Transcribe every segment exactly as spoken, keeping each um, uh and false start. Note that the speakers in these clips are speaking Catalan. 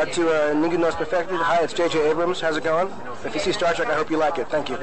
uh, to uh, Ningún No Es Perfecto. Hi, it's J J Abrams. How's it going? If you see Star Trek, I hope you like it. Thank you.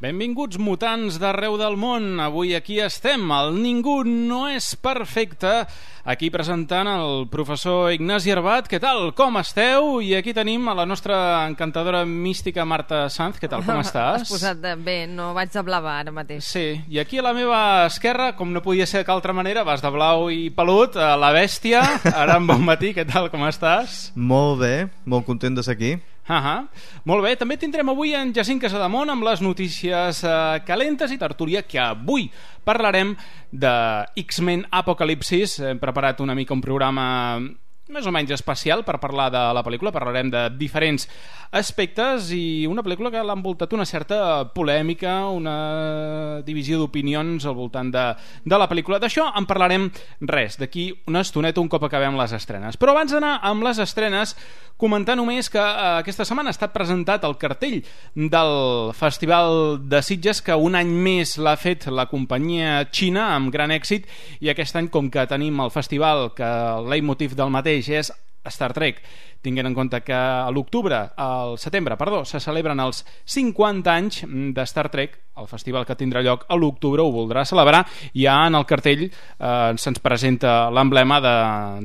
Benvinguts mutants d'arreu del món. Avui aquí estem, el Ningú No És Perfecte, aquí presentant el professor Ignasi Arbat. Què tal? Com esteu? I aquí tenim a la nostra encantadora mística Marta Sanz. Què tal? Com estàs? Has posat bé, no vaig de blava ara mateix. Sí, i aquí a la meva esquerra, com no podia ser d'altra manera, vas de blau i pelut, a la bèstia. Ara en bon matí, què tal? Com estàs? Molt bé, molt content de ser aquí. Uh -huh. Molt bé, també tindrem avui en Jacint Casademont amb les notícies eh, calentes i tertúlia, que avui parlarem de X-Men Apocalipsis. Hem preparat una mica un programa més o menys especial per parlar de la pel·lícula. Parlarem de diferents aspectes i una pel·lícula que l'ha envoltat una certa polèmica, una divisió d'opinions al voltant de, de la pel·lícula. D'això en parlarem res, d'aquí una estoneta un cop acabem les estrenes. Però abans d'anar amb les estrenes, comentar només que eh, aquesta setmana ha estat presentat el cartell del Festival de Sitges, que un any més l'ha fet la companyia xina amb gran èxit, i aquest any, com que tenim el festival que el leitmotiv del mateix és Star Trek, tinguent en compte que a l'octubre, al setembre, perdó, se celebren els cinquanta anys de Star Trek, el festival que tindrà lloc a l'octubre ho voldrà celebrar, i ja en el cartell eh, se'ns presenta l'emblema de,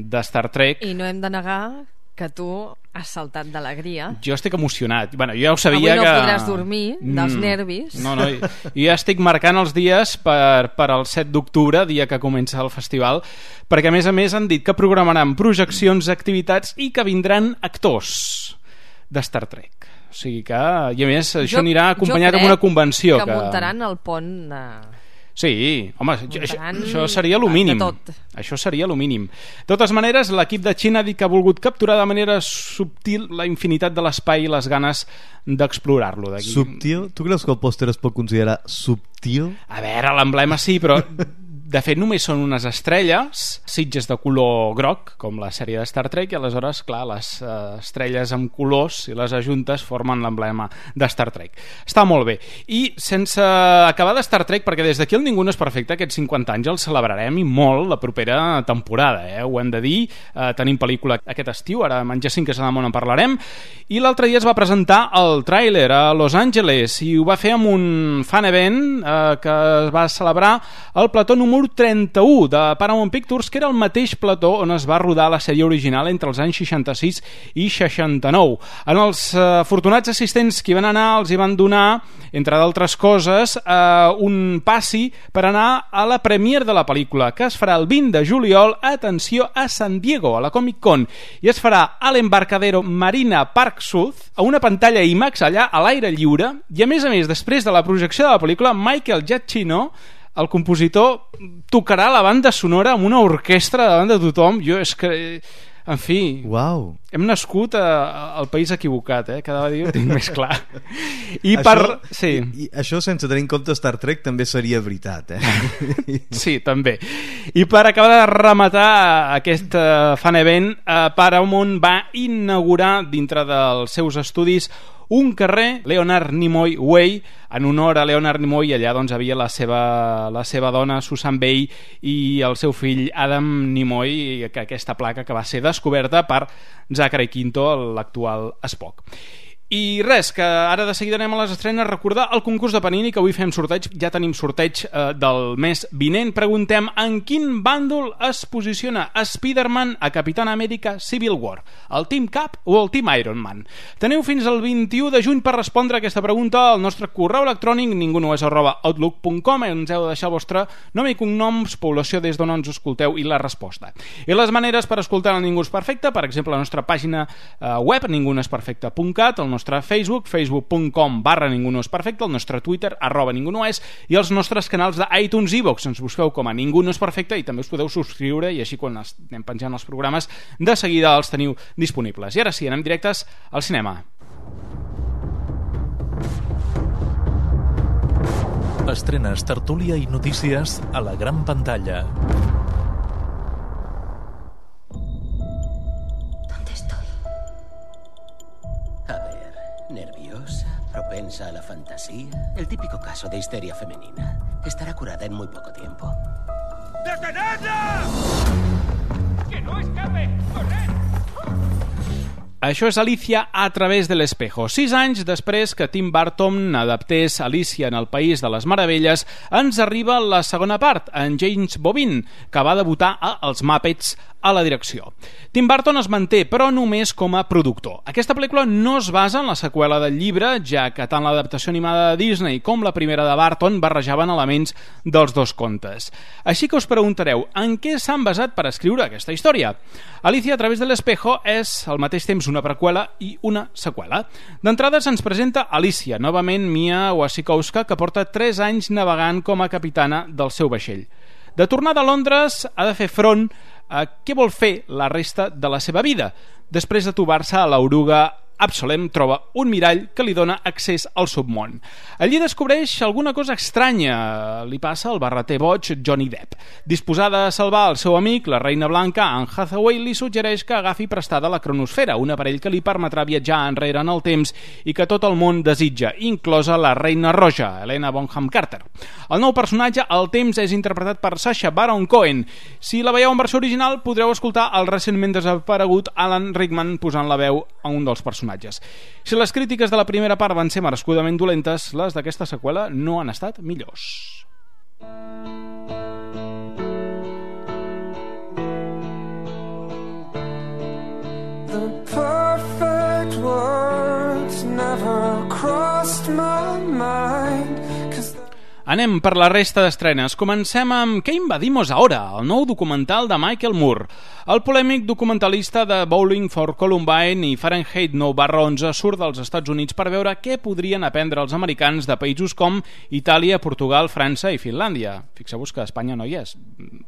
de Star Trek. I no hem de negar que tu has saltat d'alegria. Jo estic emocionat. Bueno, jo ja ho sabia. Avui no que... podràs dormir dels mm, nervis. No, no, jo ja estic marcant els dies per, per al set d'octubre, dia que comença el festival, perquè a més a més han dit que programaran projeccions, activitats i que vindran actors de Star Trek. O sigui que, i a més, això jo, anirà acompanyat amb una convenció. que, que muntaran el pont... Eh... Sí, home, això, això seria el mínim. Això seria el mínim. De totes maneres, l'equip de Xina ha dit que ha volgut capturar de manera subtil la infinitat de l'espai i les ganes d'explorar-lo. Subtil? Tu creus que el pòster es pot considerar subtil? A veure, l'emblema sí, però de fet només són unes estrelles, sitges de color groc, com la sèrie de Star Trek, i aleshores, clar, les uh, estrelles amb colors, si les ajuntes, formen l'emblema de Star Trek. Està molt bé. I sense acabar de Star Trek, perquè des d'aquí el Ningú No És Perfecte, aquests cinquanta anys els celebrarem i molt la propera temporada, eh? Ho hem de dir. Uh, tenim pel·lícula aquest estiu, ara amb en Jacint Casademont en parlarem, i l'altre dia es va presentar el tràiler a Los Angeles, i ho va fer amb un fan event uh, que es va celebrar al plató número trenta-u de Paramount Pictures, que era el mateix plató on es va rodar la sèrie original entre els anys seixanta-sis i seixanta-nou. En els eh, afortunats assistents que hi van anar els hi van donar, entre d'altres coses, eh, un passi per anar a la premiere de la pel·lícula, que es farà el vint de juliol, atenció, a San Diego, a la Comic Con, i es farà a l'Embarcadero Marina Park Sud, a una pantalla IMAX allà a l'aire lliure, i a més a més, després de la projecció de la pel·lícula, Michael Giacchino, el compositor, tocarà la banda sonora amb una orquestra davant de tothom. Jo és que, en fi, wow. Hem nascut a, a, al país equivocat, eh? Cada dia ho tinc més clar. I això, per... Sí. I, i això sense tenir en compte Star Trek també seria veritat, eh? Sí, també. I per acabar de rematar aquest uh, fan event, uh, Paramount va inaugurar dintre dels seus estudis un carrer, Leonard Nimoy Way, en honor a Leonard Nimoy. Allà doncs havia la seva, la seva dona Susan Bay i el seu fill Adam Nimoy, que aquesta placa que va ser descoberta per Zachary Quinto, l'actual Spock. I res, que ara de seguida anem a les estrenes. Recordar el concurs de Panini, que avui fem sorteig. Ja tenim sorteig eh, del mes vinent. Preguntem en quin bàndol es posiciona Spider-Man a Capitán Amèrica Civil War, el Team Cap o el Team Iron Man. Teniu fins al vint-i-u de juny per respondre a aquesta pregunta al nostre correu electrònic ningunoes arroba outlook punt com. Ens heu de deixar el vostre nom i cognoms, població des d'on ens escolteu i la resposta. I les maneres per escoltar el Ningú És Perfecte, per exemple, la nostra pàgina eh, web ningunoesperfecte punt cat, el nostre Facebook, facebook punt com barra Ningú No És Perfecte, el nostre Twitter, arroba Ningú No És, i els nostres canals d'iTunes i iVoox. Ens busqueu com a Ningú No És Perfecte i també us podeu subscriure, i així quan anem penjant els programes de seguida els teniu disponibles. I ara sí, anem directes al cinema. Estrenes, tertúlia i notícies a la gran pantalla. ¿Dónde estoy? A ver, nerviosa, propensa a la fantasía. El típico caso de histeria femenina. Estará curada en muy poco tiempo. ¡Detenedla! ¡Que no escape! ¡Corred! Això és Alicia a través de l'espejo. Sis anys després que Tim Burton adaptés Alicia en el País de les Meravelles, ens arriba la segona part, en James Bovin, que va debutar a Els Muppets a la direcció. Tim Burton es manté, però només com a productor. Aquesta pel·lícula no es basa en la seqüela del llibre, ja que tant l'adaptació animada de Disney com la primera de Burton barrejaven elements dels dos contes. Així que us preguntareu, en què s'han basat per escriure aquesta història? Alicia a través de l'espejo és al mateix temps una preqüela i una seqüela. D'entrada se'ns presenta Alicia, novament Mia Wasikowska, que porta tres anys navegant com a capitana del seu vaixell. De tornada a Londres, ha de fer front a què vol fer la resta de la seva vida. Després de trobar-se a l'oruga Absolem, troba un mirall que li dona accés al submón. Allí descobreix alguna cosa estranya. Li passa al barreter boig Johnny Depp. Disposada a salvar el seu amic, la reina blanca, Anne Hathaway, li suggereix que agafi prestada la cronosfera, un aparell que li permetrà viatjar enrere en el temps i que tot el món desitja, inclosa la reina roja, Helena Bonham Carter. El nou personatge, el temps, és interpretat per Sacha Baron Cohen. Si la veieu en versió original, podreu escoltar el recentment desaparegut Alan Rickman posant la veu a un dels personatges. Si les crítiques de la primera part van ser merescudament dolentes, les d'aquesta seqüela no han estat millors. The perfect words never crossed my mind. Anem per la resta d'estrenes. Comencem amb Què invadimos ahora?, el nou documental de Michael Moore. El polèmic documentalista de Bowling for Columbine i Fahrenheit nou barra onze surt dels Estats Units per veure què podrien aprendre els americans de països com Itàlia, Portugal, França i Finlàndia. Fixeu-vos que Espanya no hi és.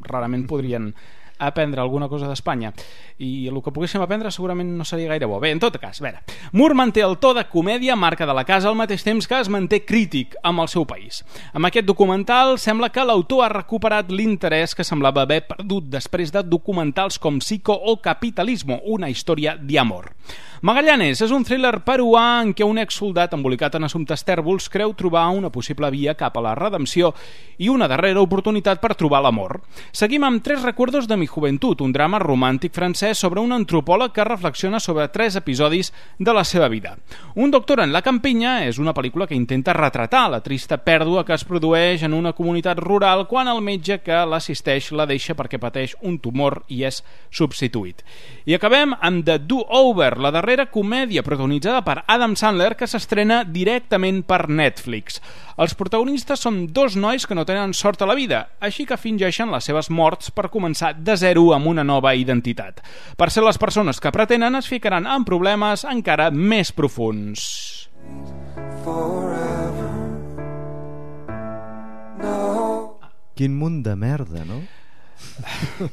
Rarament podrien aprendre alguna cosa d'Espanya, i el que poguéssim aprendre segurament no seria gaire bo. Bé, en tot cas, a veure, Moore manté el to de comèdia, marca de la casa, al mateix temps que es manté crític amb el seu país. Amb aquest documental sembla que l'autor ha recuperat l'interès que semblava haver perdut després de documentals com Psico o Capitalismo, una història d'amor. Magallanes és un thriller peruà en què un exsoldat embolicat en assumptes tèrbols creu trobar una possible via cap a la redempció i una darrera oportunitat per trobar l'amor. Seguim amb Tres recuerdos de mi juventud, un drama romàntic francès sobre un antropòleg que reflexiona sobre tres episodis de la seva vida. Un doctor en la campinya és una pel·lícula que intenta retratar la trista pèrdua que es produeix en una comunitat rural quan el metge que l'assisteix la deixa perquè pateix un tumor i és substituït. I acabem amb The Do-Over, la darrera comèdia protagonitzada per Adam Sandler que s'estrena directament per Netflix. Els protagonistes són dos nois que no tenen sort a la vida, així que fingeixen les seves morts per començar de zero amb una nova identitat. Per ser les persones que pretenen es ficaran en problemes encara més profunds. Quin munt de merda, no?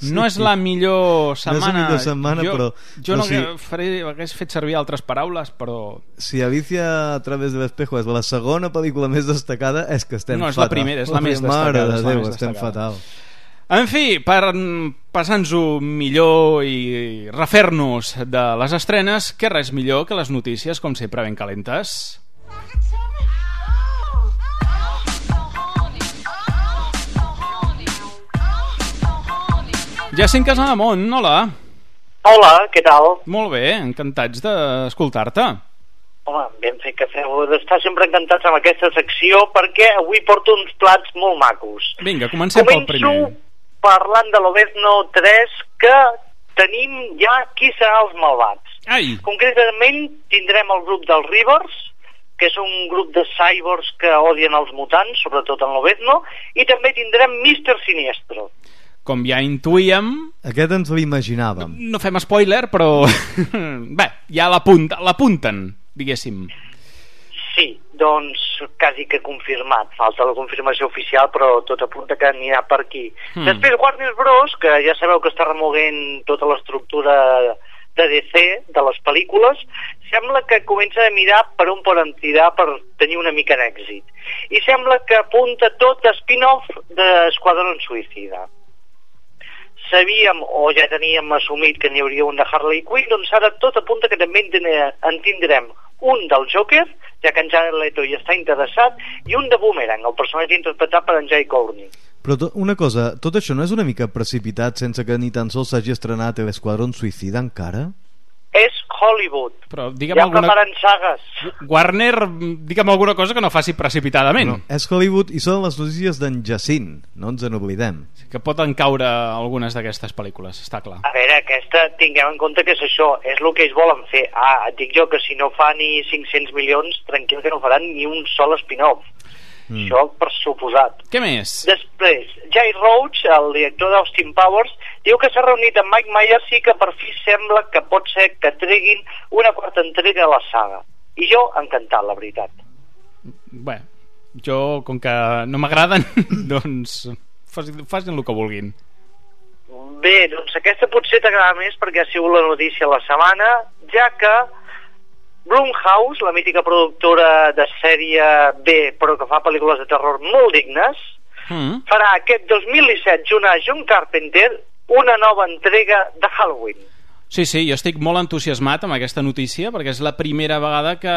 No és la millor setmana, no és la millor setmana jo, però, jo no, no sí. faré, hagués fet servir altres paraules, però si Alicia a través de l'espejo és la segona pel·lícula més destacada, és que estem no, és fatal. la primera, és la més Mare destacada, de és la Déu, més estem destacada. fatal. En fi, per passar-nos-ho millor i refer-nos de les estrenes, que res millor que les notícies, com sempre, ben calentes. Jacint Casademont, hola. Hola, què tal? Molt bé, encantats d'escoltar-te. Home, ben fet que feu d'estar sempre encantats amb aquesta secció perquè avui porto uns plats molt macos. Vinga, comencem pel primer. Començo parlant de l'Obezno tres, que tenim ja qui serà els malvats. Ai. Concretament tindrem el grup dels Rivers, que és un grup de cyborgs que odien els mutants, sobretot en l'Obezno, i també tindrem míster Siniestro. Com ja intuïem... Aquest ens l'imaginàvem. No fem spoiler, però... Bé, ja l'apunten, diguéssim. Sí, doncs quasi que confirmat. Falta la confirmació oficial, però tot apunta que anirà per aquí. Hmm. Després Warner Bros., que ja sabeu que està remoguent tota l'estructura de D C, de les pel·lícules, sembla que comença a mirar per on poden tirar per tenir una mica d'èxit. I sembla que apunta tot a spin-off d'Esquadrón Suïcida. Sabíem, o ja teníem assumit que n'hi hauria un de Harley Quinn, doncs ara tot apunta que també en tindrem un del Joker, ja que en Jared Leto hi està interessat, i un de Boomerang, el personatge interpretat per en Jai Courtney. Però to, una cosa, tot això no és una mica precipitat sense que ni tan sols s'hagi estrenat l'Esquadrón Suïcida encara? És Hollywood. Però digue'm ja alguna... preparen sagues. Warner, digue'm alguna cosa que no faci precipitadament. No, és Hollywood i són les notícies d'en Jacint, no ens en oblidem. Que poden caure algunes d'aquestes pel·lícules, està clar. A veure, aquesta, tinguem en compte que és això, és el que ells volen fer. Ah, et dic jo que si no fa ni cinc-cents milions, tranquil que no faran ni un sol spin-off. Mm. Això per suposat. Què més? Després, Jay Roach, el director d'Austin Powers, diu que s'ha reunit amb Mike Myers i que per fi sembla que pot ser que treguin una quarta entrega a la saga. I jo, encantat, la veritat. Bé, jo, com que no m'agraden, doncs facin, facin el que vulguin. Bé, doncs aquesta potser t'agrada més perquè ha sigut la notícia la setmana, ja que Blumhouse, la mítica productora de sèrie B, però que fa pel·lícules de terror molt dignes, mm. farà aquest dos mil disset, junt a John Carpenter, una nova entrega de Halloween. Sí, sí, jo estic molt entusiasmat amb aquesta notícia perquè és la primera vegada que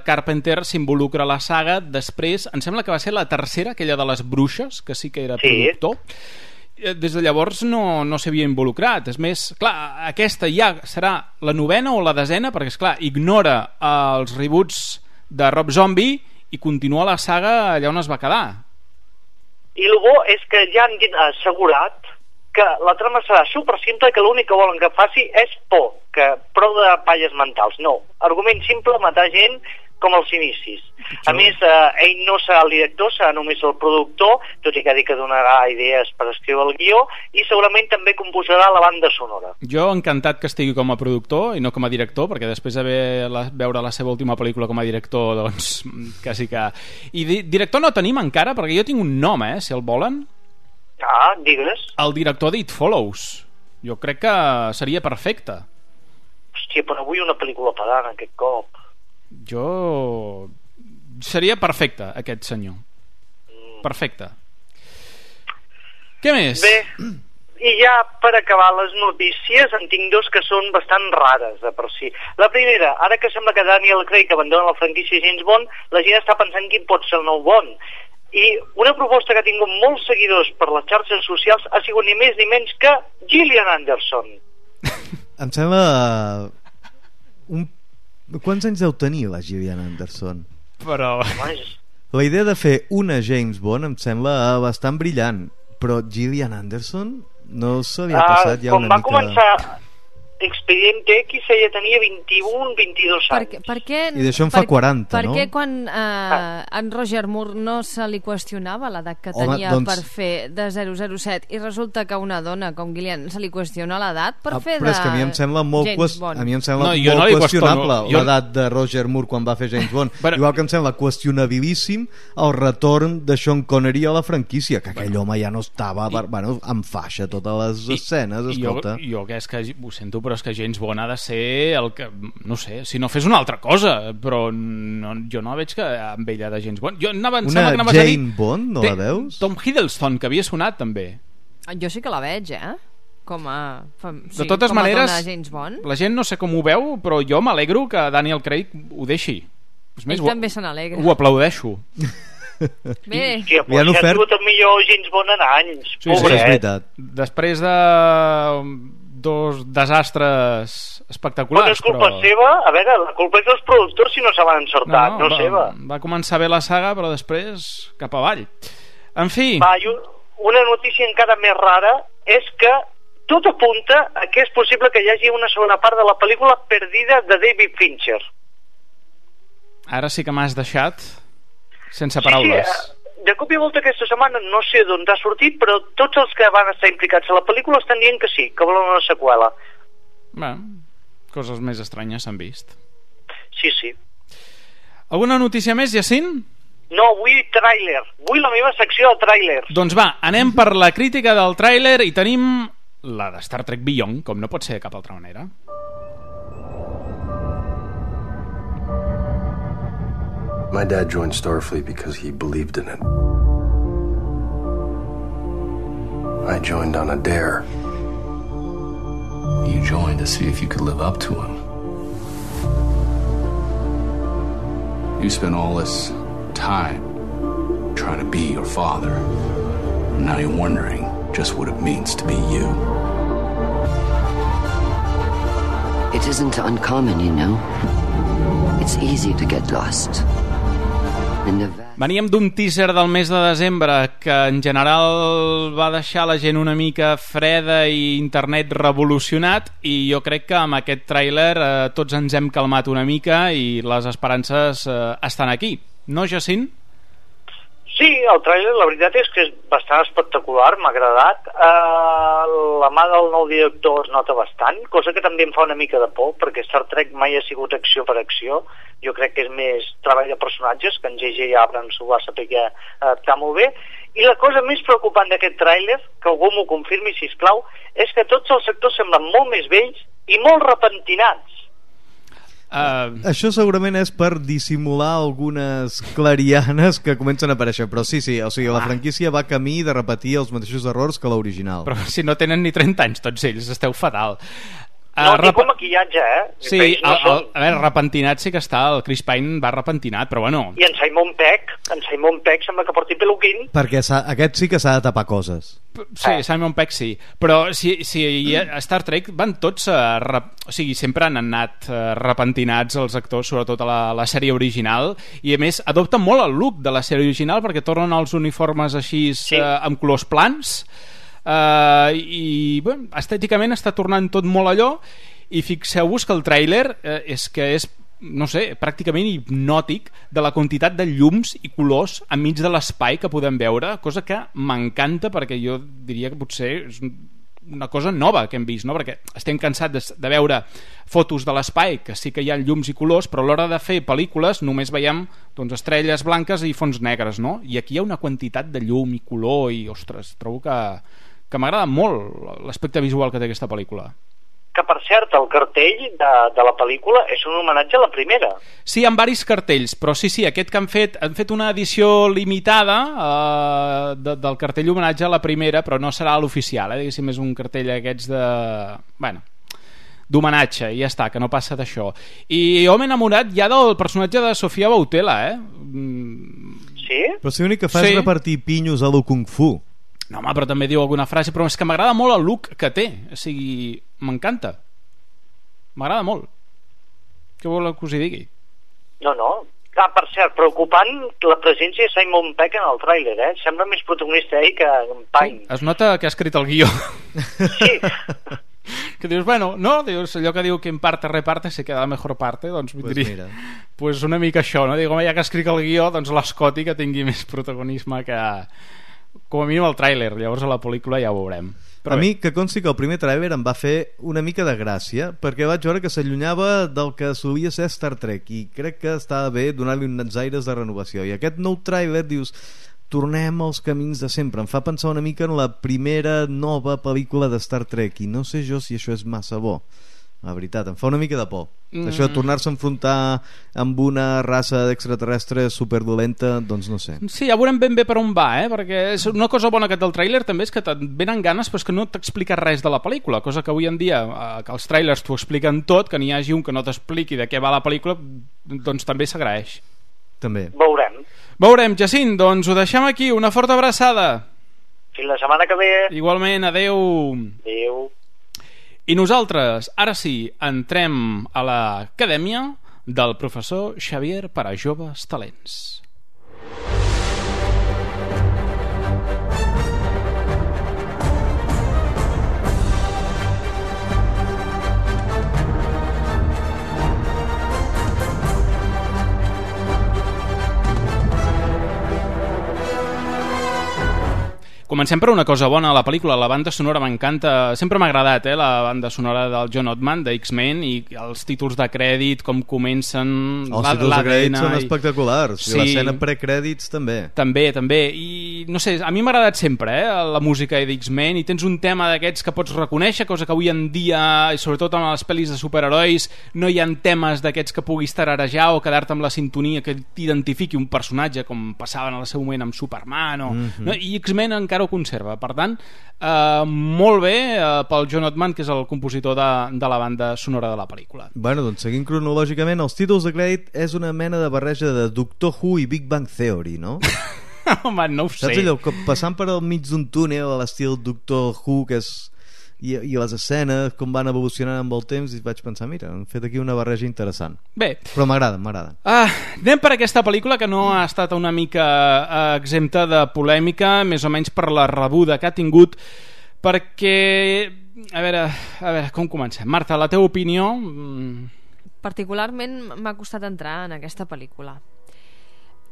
Carpenter s'involucra a la saga. Després, em sembla que va ser la tercera, aquella de les bruixes, que sí que era sí. productor. Des de llavors no, no s'havia involucrat. És més, clar, aquesta ja serà la novena o la desena, perquè esclar, ignora els reboots de Rob Zombie i continua la saga allà on es va quedar. I el bo és que ja han assegurat que la trama serà super simple, que l'únic que volen que faci és por, que prou de palles mentals. No, argument simple, matar gent com als inicis. A més, eh, ell no serà el director, serà només el productor, tot i que ha dit que donarà idees per escriure el guió, i segurament també composarà la banda sonora. Jo encantat que estigui com a productor i no com a director, perquè després de veure la seva última pel·lícula com a director, doncs, quasi que... I di director no tenim encara, perquè jo tinc un nom, eh, si el volen. Ah, digues. El director d'It Follows. Jo crec que seria perfecte. Hòstia, però vull una pel·lícula pedant aquest cop. Jo... seria perfecte, aquest senyor. Perfecte. Què més? Bé, i ja per acabar les notícies en tinc dos que són bastant rares de per si. La primera, ara que sembla que Daniel Craig abandona la franquícia James Bond, la gent està pensant quin pot ser el nou Bond. I una proposta que ha tingut molts seguidors per les xarxes socials ha sigut ni més ni menys que Gillian Anderson. Em sembla... Un... Quants anys deu tenir la Gillian Anderson? Però... La idea de fer una James Bond em sembla bastant brillant, però Gillian Anderson no se li ha passat uh, ja una mica... Com va començar Expediente X ella tenia vint-i-un vint-i-dos anys. Per, per què, I d'això en fa per, quaranta, per no? Per què quan eh, ah. en Roger Moore no se li qüestionava l'edat que Home, tenia doncs... per fer de zero zero set i resulta que una dona com Gillian se li qüestiona l'edat per ah, fer de Però és que a mi em sembla molt, James Bond. A mi em sembla no, molt no qüestionable jo... l'edat de Roger Moore quan va fer James Bond. Però... Igual que em sembla qüestionabilíssim el retorn de Sean Connery a la franquícia, que aquell bueno. home ja no estava I... bueno, amb faixa totes les I... escenes, escolta. Jo, jo que és que ho sento, però és que James Bond ha de ser el que, no sé, si no fes una altra cosa, però no, jo no veig que amb ella de James Bond. Jo anava, una que Jane dir, Bond, no la veus? Tom Hiddleston, que havia sonat també. Jo sí que la veig, eh? Com a, sí, de totes com a maneres, dona James Bond. La gent no sé com ho veu, però jo m'alegro que Daniel Craig ho deixi. És més, Ell també se n'alegra. Ho aplaudeixo. Bé. Hòstia, però ja ha sigut el millor James Bond en anys. Sí, sí, és veritat. Després de dos desastres espectaculars. Però és culpa però... seva? A veure, la culpa és dels productors si no se van encertat, no, no, no va, seva. Va començar bé la saga, però després cap avall. En fi... Va, una notícia encara més rara és que tot apunta a que és possible que hi hagi una segona part de la pel·lícula Perdida de David Fincher. Ara sí que m'has deixat sense paraules. Sí, sí, de cop i volta aquesta setmana no sé d'on ha sortit, però tots els que van estar implicats a la pel·lícula estan dient que sí, que volen una seqüela. Bé, coses més estranyes s'han vist. Sí, sí. Alguna notícia més, Jacint? No, vull tràiler. Vull la meva secció de tràilers. Doncs va, anem per la crítica del tràiler i tenim la de Star Trek Beyond, com no pot ser de cap altra manera. My dad joined Starfleet because he believed in it. I joined on a dare. You joined to see if you could live up to him. You spent all this time trying to be your father. And now you're wondering just what it means to be you. It isn't uncommon, you know. It's easy to get lost. Veníem d'un teaser del mes de desembre que en general va deixar la gent una mica freda i internet revolucionat, i jo crec que amb aquest tràiler eh, tots ens hem calmat una mica i les esperances eh, estan aquí. No, Jacint? Sí, el tràiler la veritat és que és bastant espectacular, m'ha agradat. Uh, la mà del nou director es nota bastant, cosa que també em fa una mica de por, perquè Star Trek mai ha sigut acció per acció. Jo crec que és més treball de personatges, que en J J Abrams ho va saber adaptar molt bé. I la cosa més preocupant d'aquest tràiler, que algú m'ho confirmi, sisplau, és que tots els actors semblen molt més vells i molt repentinats. Uh... Això segurament és per dissimular algunes clarianes que comencen a aparèixer, però sí, sí, o sigui, la franquícia va camí de repetir els mateixos errors que l'original. Però si no tenen ni trenta anys tots ells, esteu fatal. No, uh, tipus rep... maquillatge, eh? Sí, no el, el, a veure, repentinat sí que està, el Chris Pine va repentinat, però bueno... I en Simon Pegg, en Simon Pegg sembla que porti peluquín. Perquè aquest sí que s'ha de tapar coses. Sí, eh. Simon Pegg sí, però si, si a Star Trek van tots a rep... o sigui, sempre han anat uh, repentinats els actors, sobretot a la, la sèrie original, i a més adopten molt el look de la sèrie original perquè tornen els uniformes així sí. uh, amb colors plans. Uh, i bueno, estèticament està tornant tot molt allò, i fixeu-vos que el tràiler uh, és que és, no sé, pràcticament hipnòtic de la quantitat de llums i colors enmig de l'espai que podem veure, cosa que m'encanta, perquè jo diria que potser és una cosa nova que hem vist, no? Perquè estem cansats de, de veure fotos de l'espai que sí que hi ha llums i colors, però a l'hora de fer pel·lícules només veiem doncs, estrelles blanques i fons negres, no? I aquí hi ha una quantitat de llum i color i, ostres, trobo que que m'agrada molt l'aspecte visual que té aquesta pel·lícula. Que, per cert, el cartell de, de la pel·lícula és un homenatge a la primera. Sí, hi ha varis cartells, però sí, sí, aquest que han fet, han fet una edició limitada eh, de, del cartell homenatge a la primera, però no serà l'oficial, eh? Diguéssim, és un cartell aquests de... bueno, d'homenatge, i ja està, que no passa d'això. I jo m'he enamorat ja del personatge de Sofia Boutella, eh? Sí? Però si l'únic que fa sí. és repartir pinyos a lo Kung Fu. No, home, però també diu alguna frase, però és que m'agrada molt el look que té, o sigui, m'encanta, m'agrada molt. Què vol que us hi digui? No, no. Ah, per cert, preocupant la presència de Simon Pegg en el tràiler, eh? Sembla més protagonista ell que en Pine. Sí, es nota que ha escrit el guió. Sí. Que dius, bueno, no, dius, allò que diu que en parte reparte se queda la mejor parte, doncs pues diria, pues una mica això, no? Dic, home, ja que ha escrit el guió, doncs l'Scotty que tingui més protagonisme que... com a mínim el tràiler, llavors a la pel·lícula ja ho veurem. Però a bé. Mi que consti que el primer tràiler em va fer una mica de gràcia, perquè vaig veure que s'allunyava del que solia ser Star Trek, i crec que estava bé donar-li uns aires de renovació, i aquest nou tràiler dius, tornem als camins de sempre, em fa pensar una mica en la primera nova pel·lícula de Star Trek, i no sé jo si això és massa bo, la veritat, em fa una mica de por. Mm. Això de tornar-se a enfrontar amb una raça d'extraterrestre superdolenta, doncs no sé. Sí, ja veurem ben bé per on va, eh? Perquè és una cosa bona que té el tràiler també és que et venen ganes però és que no t'explica res de la pel·lícula, cosa que avui en dia eh, que els tràilers t'ho expliquen tot, que n'hi hagi un que no t'expliqui de què va la pel·lícula, doncs també s'agraeix. També. Veurem. Veurem, Jacint, doncs ho deixem aquí, una forta abraçada. Fins la setmana que ve. Igualment, adeu. Adeu. I nosaltres, ara sí, entrem a l'acadèmia del professor Xavier per a joves talents. comencem per una cosa bona a la pel·lícula. La banda sonora m'encanta, sempre m'ha agradat, eh, la banda sonora del John Ottman, de X-Men, i els títols de crèdit, com comencen... Els títols de crèdit són espectaculars, sí. I l'escena precrèdits també. També, també, i no sé, a mi m'ha agradat sempre, eh, la música d'X-Men, i tens un tema d'aquests que pots reconèixer, cosa que avui en dia, i sobretot amb les pel·lis de superherois, no hi ha temes d'aquests que puguis tararejar o quedar-te amb la sintonia que t'identifiqui un personatge, com passaven al seu moment amb Superman, o... Mm-hmm. No? I X-Men encara ho conserva, per tant eh, molt bé eh, pel John Ottman, que és el compositor de, de la banda sonora de la pel·lícula. Bueno, doncs seguint cronològicament, els títols de crèdit és una mena de barreja de Doctor Who i Big Bang Theory, no? Home, no ho sé. Saps allò, passant per al mig d'un túnel a l'estil Doctor Who, que és I, i les escenes com van evolucionant amb el temps, i vaig pensar, mira, han fet aquí una barreja interessant. Bé, però m'agrada, m'agrada. Ah, anem per aquesta pel·lícula que no ha estat una mica eh, exempta de polèmica, més o menys per la rebuda que ha tingut, perquè a veure, a veure com comencem. Marta, la teva opinió? Particularment m'ha costat entrar en aquesta pel·lícula.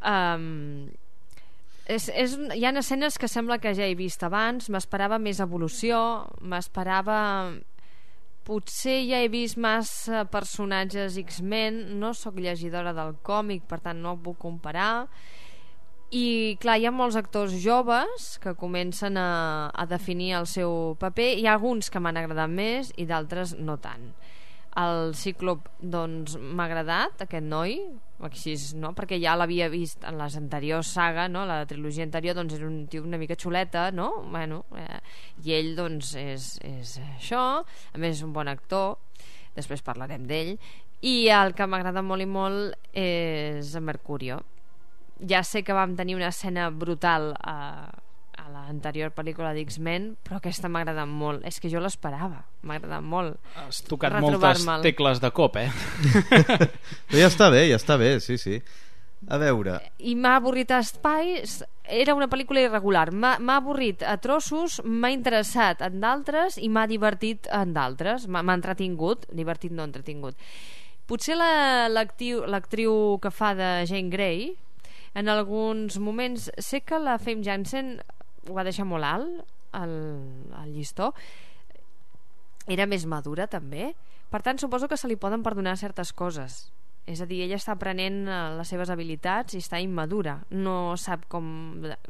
um, És, és, hi ha escenes que sembla que ja he vist abans. M'esperava més evolució, m'esperava... Potser ja he vist massa personatges X-Men, no sóc llegidora del còmic, per tant no ho puc comparar. I clar, hi ha molts actors joves que comencen a, a definir el seu paper. Hi ha alguns que m'han agradat més i d'altres no tant. El Cíclop, doncs, m'ha agradat, aquest noi, així, no? Perquè ja l'havia vist en les anteriors saga, no? La trilogia anterior, doncs era un tio una mica xuleta, no? Bueno, eh, i ell, doncs, és, és això. A més, és un bon actor, després parlarem d'ell. I el que m'agrada molt i molt és en Mercurio. Ja sé que vam tenir una escena brutal a, a l'anterior pel·lícula d'X-Men, però aquesta m'ha agradat molt. És que jo l'esperava, m'ha agradat molt. Has tocat moltes tecles de cop, eh? Però ja està bé, ja està bé, sí, sí. A veure... I m'ha avorrit a espais, era una pel·lícula irregular, m'ha avorrit a trossos, m'ha interessat en d'altres i m'ha divertit en d'altres, m'ha entretingut, divertit no entretingut. Potser l'actriu que fa de Jane Grey, en alguns moments, sé que la Famke Janssen ho va deixar molt alt, el, el llistó, era més madura també, per tant suposo que se li poden perdonar certes coses. És a dir, ella està aprenent les seves habilitats i està immadura, no sap com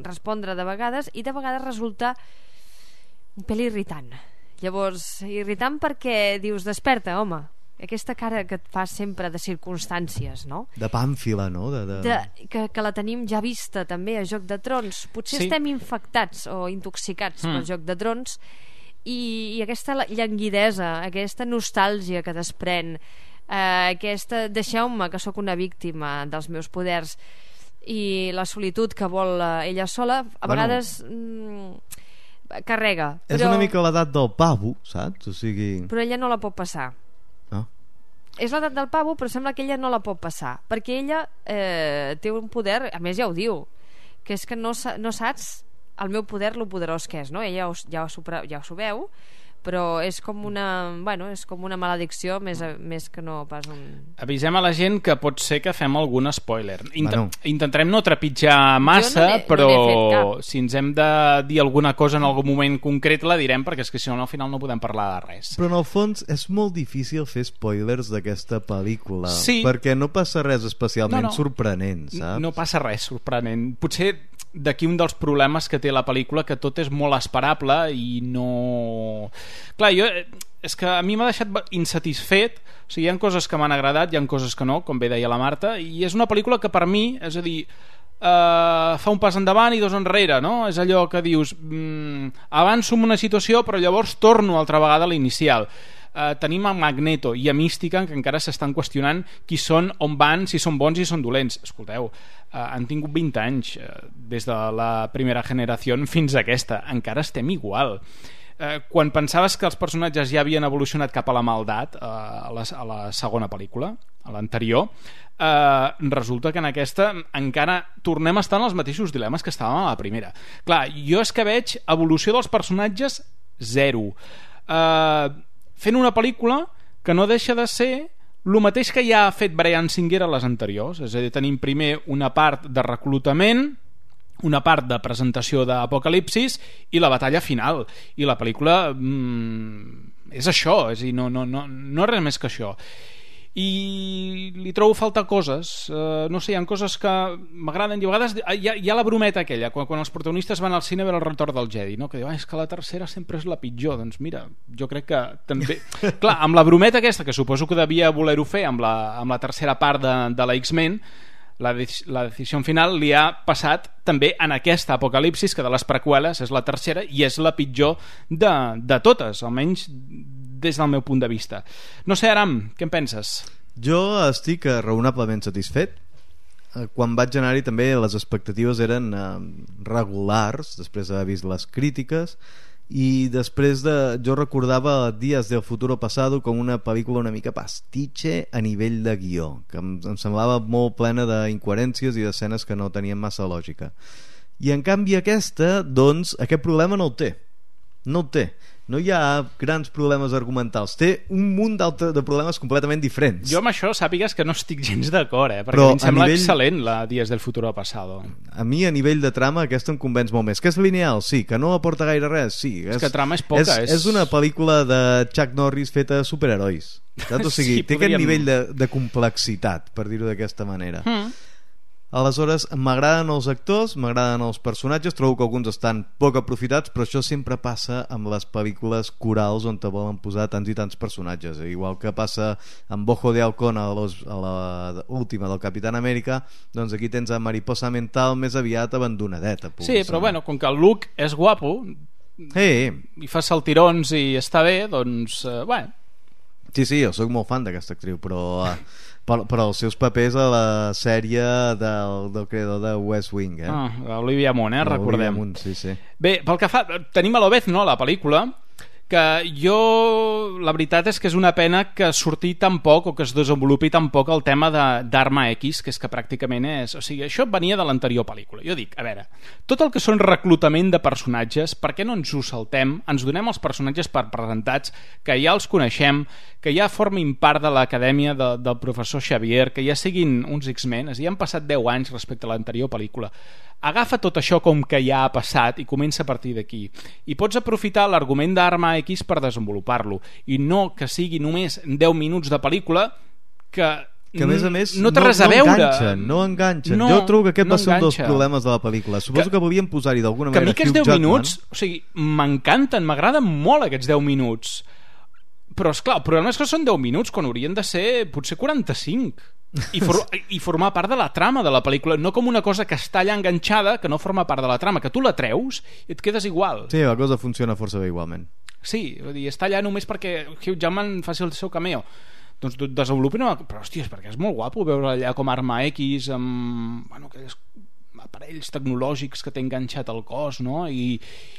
respondre de vegades, i de vegades resulta un pèl irritant. Llavors, irritant perquè dius, desperta, home, aquesta cara que et fa sempre de circumstàncies, no? De pàmfila, no? De, de... De, que, que la tenim ja vista també a Joc de Trons. Potser sí. Estem infectats o intoxicats mm. pel Joc de Trons, i, i aquesta llanguidesa, aquesta nostàlgia que desprèn, eh, aquesta deixeu-me que sóc una víctima dels meus poders, i la solitud que vol ella sola, a bueno, vegades mm, carrega. És però... una mica l'edat del pavo, saps? O sigui... Però ella no la pot passar. És l'edat del pavo, però sembla que ella no la pot passar, perquè ella eh, té un poder, a més ja ho diu, que és que no, no saps el meu poder, lo poderós que és, no? Ella ja ho, ja ho veu, però és com una, bueno, és com una maledicció més, més que no pas un... Avisem a la gent que pot ser que fem algun spoiler. Intent, bueno. Intentarem no trepitjar massa, no però no si ens hem de dir alguna cosa en algun moment concret la direm, perquè és que si no al final no podem parlar de res. Però en el fons és molt difícil fer spoilers d'aquesta pel·lícula, sí. Perquè no passa res especialment no, no. sorprenent, saps? No passa res sorprenent. Potser d'aquí un dels problemes que té la pel·lícula, que tot és molt esperable i no... Clar, jo... És que a mi m'ha deixat insatisfet. O sigui, hi ha coses que m'han agradat, hi ha coses que no, com bé deia la Marta, i és una pel·lícula que per mi, és a dir, eh, fa un pas endavant i dos enrere, no? És allò que dius, mm, avanço en una situació però llavors torno altra vegada a l'inicial. Uh, tenim a Magneto i a Mística, que encara s'estan qüestionant qui són, on van, si són bons i són dolents. Escolteu, uh, han tingut vint anys uh, des de la primera generació fins a aquesta, encara estem igual. Uh, quan pensaves que els personatges ja havien evolucionat cap a la maldat uh, a, la, a la segona pel·lícula, a l'anterior, uh, resulta que en aquesta encara tornem a estar en els mateixos dilemes que estàvem a la primera. Clar, jo és que veig evolució dels personatges zero. Uh, fent una pel·lícula que no deixa de ser el mateix que ja ha fet Bryan Singer a les anteriors, és a dir, tenim primer una part de reclutament, una part de presentació d'Apocalipsis i la batalla final, i la pel·lícula mmm, és això, és a dir, no, no, no, no res més que això. I li trobo falta coses, uh, no sé, hi ha coses que m'agraden, i a vegades hi ha, hi ha la brometa aquella, quan, quan els protagonistes van al cine a veure el retorn del Jedi, no? Que diu, ah, és que la tercera sempre és la pitjor. Doncs mira, jo crec que també clar, amb la brometa aquesta, que suposo que devia voler-ho fer amb la, amb la tercera part de, de la X-Men, la, de, la decisió final li ha passat també en aquesta Apocalipsis, que de les preqüeles és la tercera i és la pitjor de, de totes, almenys des del meu punt de vista. No sé, Aram, què en penses? Jo estic raonablement satisfet. Quan vaig anar-hi també les expectatives eren eh, regulars, després d'haver vist les crítiques, i després de... jo recordava Días del futuro pasado com una pel·lícula una mica pastitxe a nivell de guió, que em, em semblava molt plena d'incoherències i d'escenes que no tenien massa lògica. I en canvi aquesta, doncs, aquest problema no el té. No el té. No hi ha grans problemes argumentals, té un munt de problemes completament diferents. Jo amb això sàpigues que no estic gens d'acord, eh? Perquè Però a mi em sembla nivell... excel·lent la Días del futuro pasado. A mi a nivell de trama aquesta em convenç molt més. Que és lineal, sí. Que no aporta gaire res, sí. És, és que trama és poca. És, és... és una pel·lícula de Chuck Norris feta de superherois. O sigui, sí, té podríem... aquest nivell de, de complexitat, per dir-ho d'aquesta manera. Mm. Aleshores, m'agraden els actors, m'agraden els personatges, trobo que alguns estan poc aprofitats, però això sempre passa amb les pel·lícules corals on te volen posar tants i tants personatges. Igual que passa amb Ojo de Halcón a, los, a la última del Capitán Amèrica, doncs aquí tens a Mariposa Mental més aviat abandonadeta. Sí, però bueno, com que el Luke és guapo, hey. i fa saltirons i està bé, doncs, eh, bueno. Sí, sí, jo soc molt fan d'aquesta actriu, però... Eh, Per, per als seus papers a la sèrie del, del creador de West Wing, eh? Ah, Olivia Munn, eh? Recordem. Olivia Munn, sí, sí. Bé, pel que fa... Tenim a l'Obezno, no, la pel·lícula, que jo... La veritat és que és una pena que surti tan poc o que es desenvolupi tan poc el tema d'Arma X, que és que pràcticament és... O sigui, això venia de l'anterior pel·lícula. Jo dic, a veure, tot el que són reclutament de personatges, per què no ens ho saltem? Ens donem els personatges per presentats, que ja els coneixem, que ja formin part de l'acadèmia de, del professor Xavier, que ja siguin uns X-Men, ja han passat deu anys respecte a l'anterior pel·lícula. Agafa tot això com que ja ha passat i comença a partir d'aquí. I pots aprofitar l'argument d'Arma X per desenvolupar-lo, i no que sigui només deu minuts de pel·lícula que... que a més a més no té no, res a no veure. enganxen, no enganxen. No, jo trobo que aquest no va ser un dels enganxa. problemes de la pel·lícula. Suposo que, que volien posar-hi d'alguna manera Hugh que a mi aquests deu minuts, Jackman. o sigui, m'encanten, m'agraden molt aquests deu minuts, però esclar, el problema és que són deu minuts quan haurien de ser potser quaranta-cinc i, for i formar part de la trama de la pel·lícula, no com una cosa que està allà enganxada, que no forma part de la trama, que tu la treus i et quedes igual. Sí, la cosa funciona força bé igualment. Sí, vull dir, està allà només perquè Hugh Jackman faci el seu cameo. Doncs desenvolupin una... Però, hòstia, és perquè és molt guapo veure allà com Arma X amb... Bueno, aquells aparells tecnològics que té enganxat al cos, no? I...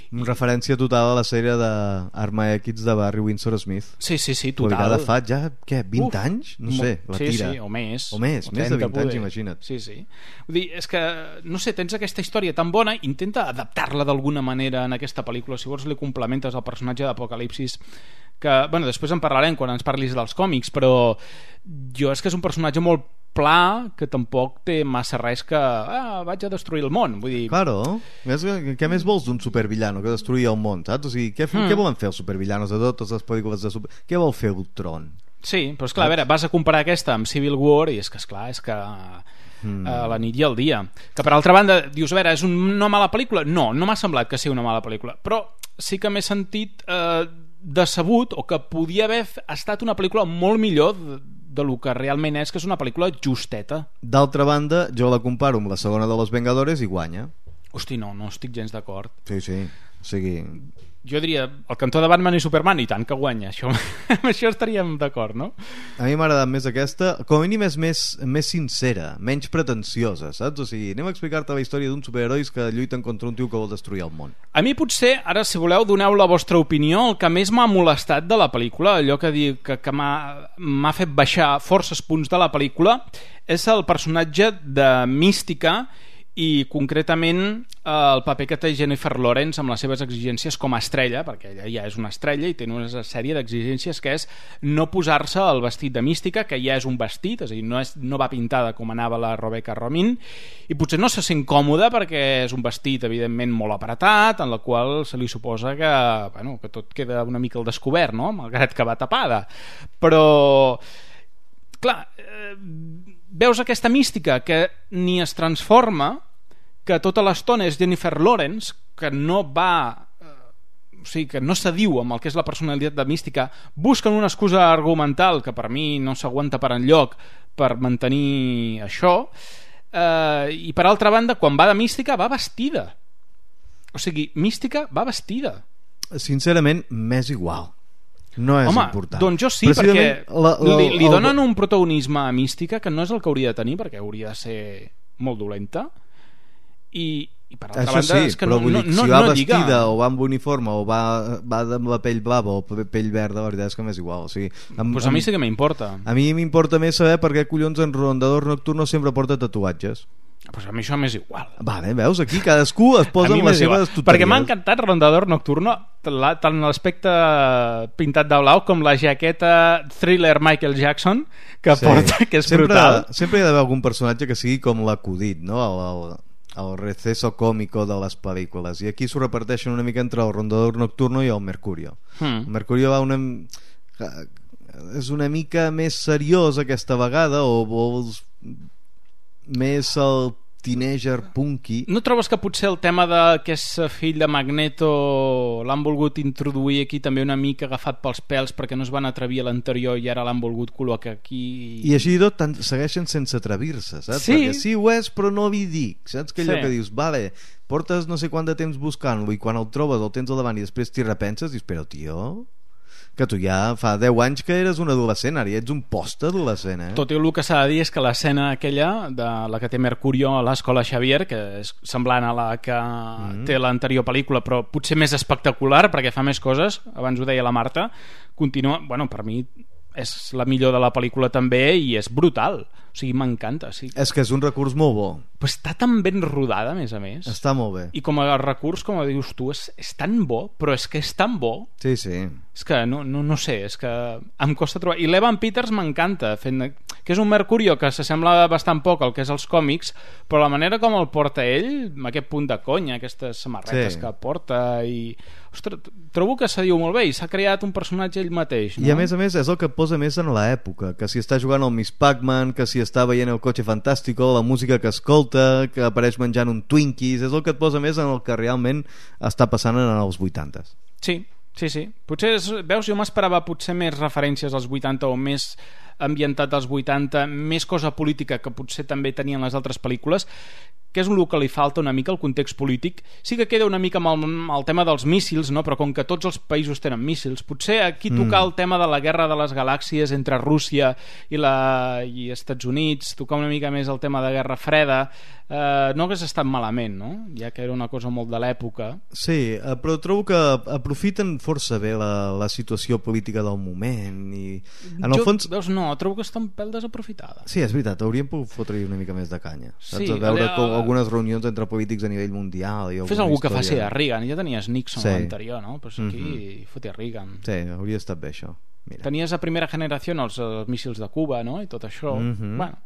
En referència total a la sèrie d'Arma X de Barry Windsor Smith. Sí, sí, sí, total. Publicada fa ja, què, vint Uf, anys? No sé, la sí, tira. Sí, o més. O més, o més de vint poder. anys, imagina't. Sí, sí. Vull dir, és que, no sé, tens aquesta història tan bona, intenta adaptar-la d'alguna manera en aquesta pel·lícula, si vols li complementes al personatge d'Apocalipsis, que, bueno, després en parlarem quan ens parlis dels còmics, però jo és que és un personatge molt pla, que tampoc té massa res que ah, vaig a destruir el món, vull dir... Claro, què més vols d'un supervillano que destruir el món, saps? O sigui, què, mm. què volen fer els supervillanos de totes les pel·lícules de super... Què vol fer Ultron? Sí, però esclar, a veure, vas a comparar aquesta amb Civil War i és que, esclar, és que mm. a la nit i al dia. Que per altra banda, dius, a veure, és una mala pel·lícula? No, no m'ha semblat que sigui una mala pel·lícula, però sí que m'he sentit eh, decebut, o que podia haver estat una pel·lícula molt millor de, de lo que realment és, que és una pel·lícula justeta. D'altra banda, jo la comparo amb la segona de Los Vengadores i guanya. Hosti, no, no estic gens d'acord. Sí, sí, o sigui... Jo diria, el cantó de Batman i Superman, i tant que guanya, això, amb això estaríem d'acord, no? A mi m'ha agradat més aquesta, com a mínim és més, més sincera, menys pretensiosa, saps? O sigui, anem a explicar-te la història d'uns superherois que lluiten contra un tio que vol destruir el món. A mi potser, ara si voleu doneu la vostra opinió, el que més m'ha molestat de la pel·lícula, allò que dic que, que m'ha fet baixar forces punts de la pel·lícula, és el personatge de Mística i concretament el paper que té Jennifer Lawrence amb les seves exigències com a estrella, perquè ella ja és una estrella i té una sèrie d'exigències que és no posar-se el vestit de mística, que ja és un vestit, és a dir, no, és, no va pintada com anava la Rebecca Romijn, i potser no se sent còmoda perquè és un vestit evidentment molt apretat, en la qual se li suposa que, bueno, que tot queda una mica al descobert, no? Malgrat que va tapada, però clar, eh, veus aquesta mística que ni es transforma, que tota l'estona és Jennifer Lawrence, que no va, eh, o sigui, que no s'adiu amb el que és la personalitat de mística, busquen una excusa argumental que per mi no s'aguanta per enlloc per mantenir això, eh, i per altra banda, quan va de mística va vestida, o sigui, mística va vestida. Sincerament, m'és igual. No és Home, important. Doncs jo sí, perquè la, la, li, li el... donen un protagonisme a mística que no és el que hauria de tenir, perquè hauria de ser molt dolenta, i, i per altra Això banda sí, és que però no, vull no, dir, no, si va no vestida lliga. o va amb uniforme o va, va amb la pell blava o pell verda, la veritat és que m'és igual. O sigui, amb, pues a mi sí que m'importa. A mi m'importa més saber per què collons en Rondador Nocturno sempre porta tatuatges. Pues a mi això m'és igual. Vale, veus, aquí cadascú es posa en les seves tuteries. Perquè m'ha encantat Rondador Nocturno, tant l'aspecte pintat de blau com la jaqueta thriller Michael Jackson que sí. porta, que és sempre, brutal. Sempre hi ha d'haver algun personatge que sigui com l'acudit, no? El, el, el receso còmico de les pel·lícules, i aquí s'ho reparteixen una mica entre el Rondador Nocturno i el Mercurio. hmm. El Mercurio va una... és una mica més seriós aquesta vegada, o vols més el teenager punky. No trobes que potser el tema de que és fill de Magneto l'han volgut introduir aquí també una mica agafat pels pèls perquè no es van atrevir a l'anterior i ara l'han volgut col·locar aquí? I així i tot tant, segueixen sense atrevir-se, saps? Sí. Perquè sí ho és, però no li dic, saps? Que allò Sí. que dius, vale, portes no sé quant de temps buscant-lo i quan el trobes el tens al davant i després t'hi repenses i dius, però tio, que tu ja fa deu anys que eres un adolescent, ara ja ets un post-adolescent, eh? Tot i el que s'ha de dir és que l'escena aquella de la que té Mercurio a l'Escola Xavier, que és semblant a la que mm. té l'anterior pel·lícula però potser més espectacular perquè fa més coses, abans ho deia la Marta, continua, bueno, per mi és la millor de la pel·lícula també i és brutal, o sigui, m'encanta, sí. És que és un recurs molt bo, però està tan ben rodada, a més a més, està molt bé, i com a recurs, com dius tu, és, és tan bo, però és que és tan bo, sí, sí, és que no, no, no sé, és que em costa trobar, i l'Evan Peters m'encanta fent, que és un Mercurio que s'assembla bastant poc al que és els còmics, però la manera com el porta ell, amb aquest punt de conya, aquestes samarretes sí. que porta, i ostres, trobo que se diu molt bé i s'ha creat un personatge ell mateix, no? I a més a més és el que posa més en l'època, que si està jugant al Miss Pac-Man, que si està veient el Cotxe Fantàstico, la música que escolta, que apareix menjant un Twinkies, és el que et posa més en el que realment està passant en els vuitantes. Sí, sí, sí. Potser, és, veus, jo m'esperava potser més referències als vuitanta o més ambientat als vuitanta, més cosa política que potser també tenien les altres pel·lícules, que és el que li falta una mica, el context polític. Sí que queda una mica amb el, amb el tema dels míssils, no? Però com que tots els països tenen míssils, potser aquí tocar mm. el tema de la guerra de les galàxies entre Rússia i, la, i Estats Units, tocar una mica més el tema de Guerra Freda, eh, no hagués estat malament, no? Ja que era una cosa molt de l'època. Sí, però trobo que aprofiten força bé la, la situació política del moment i en el jo, fons... Veus, no, trobo que està un pèl desaprofitada. Sí, és veritat, hauríem pogut fotre-hi una mica més de canya, saps? Sí, A veure allà... com algunes reunions entre polítics a nivell mundial i fes algú història... que faci a Reagan, ja tenies Nixon sí. l'anterior, no? Pues aquí mm-hmm. fotia Reagan. Sí, hauria estat bé això. Mira. Tenies a primera generació els, els míssils de Cuba, no? I tot això. Mm-hmm. Bueno,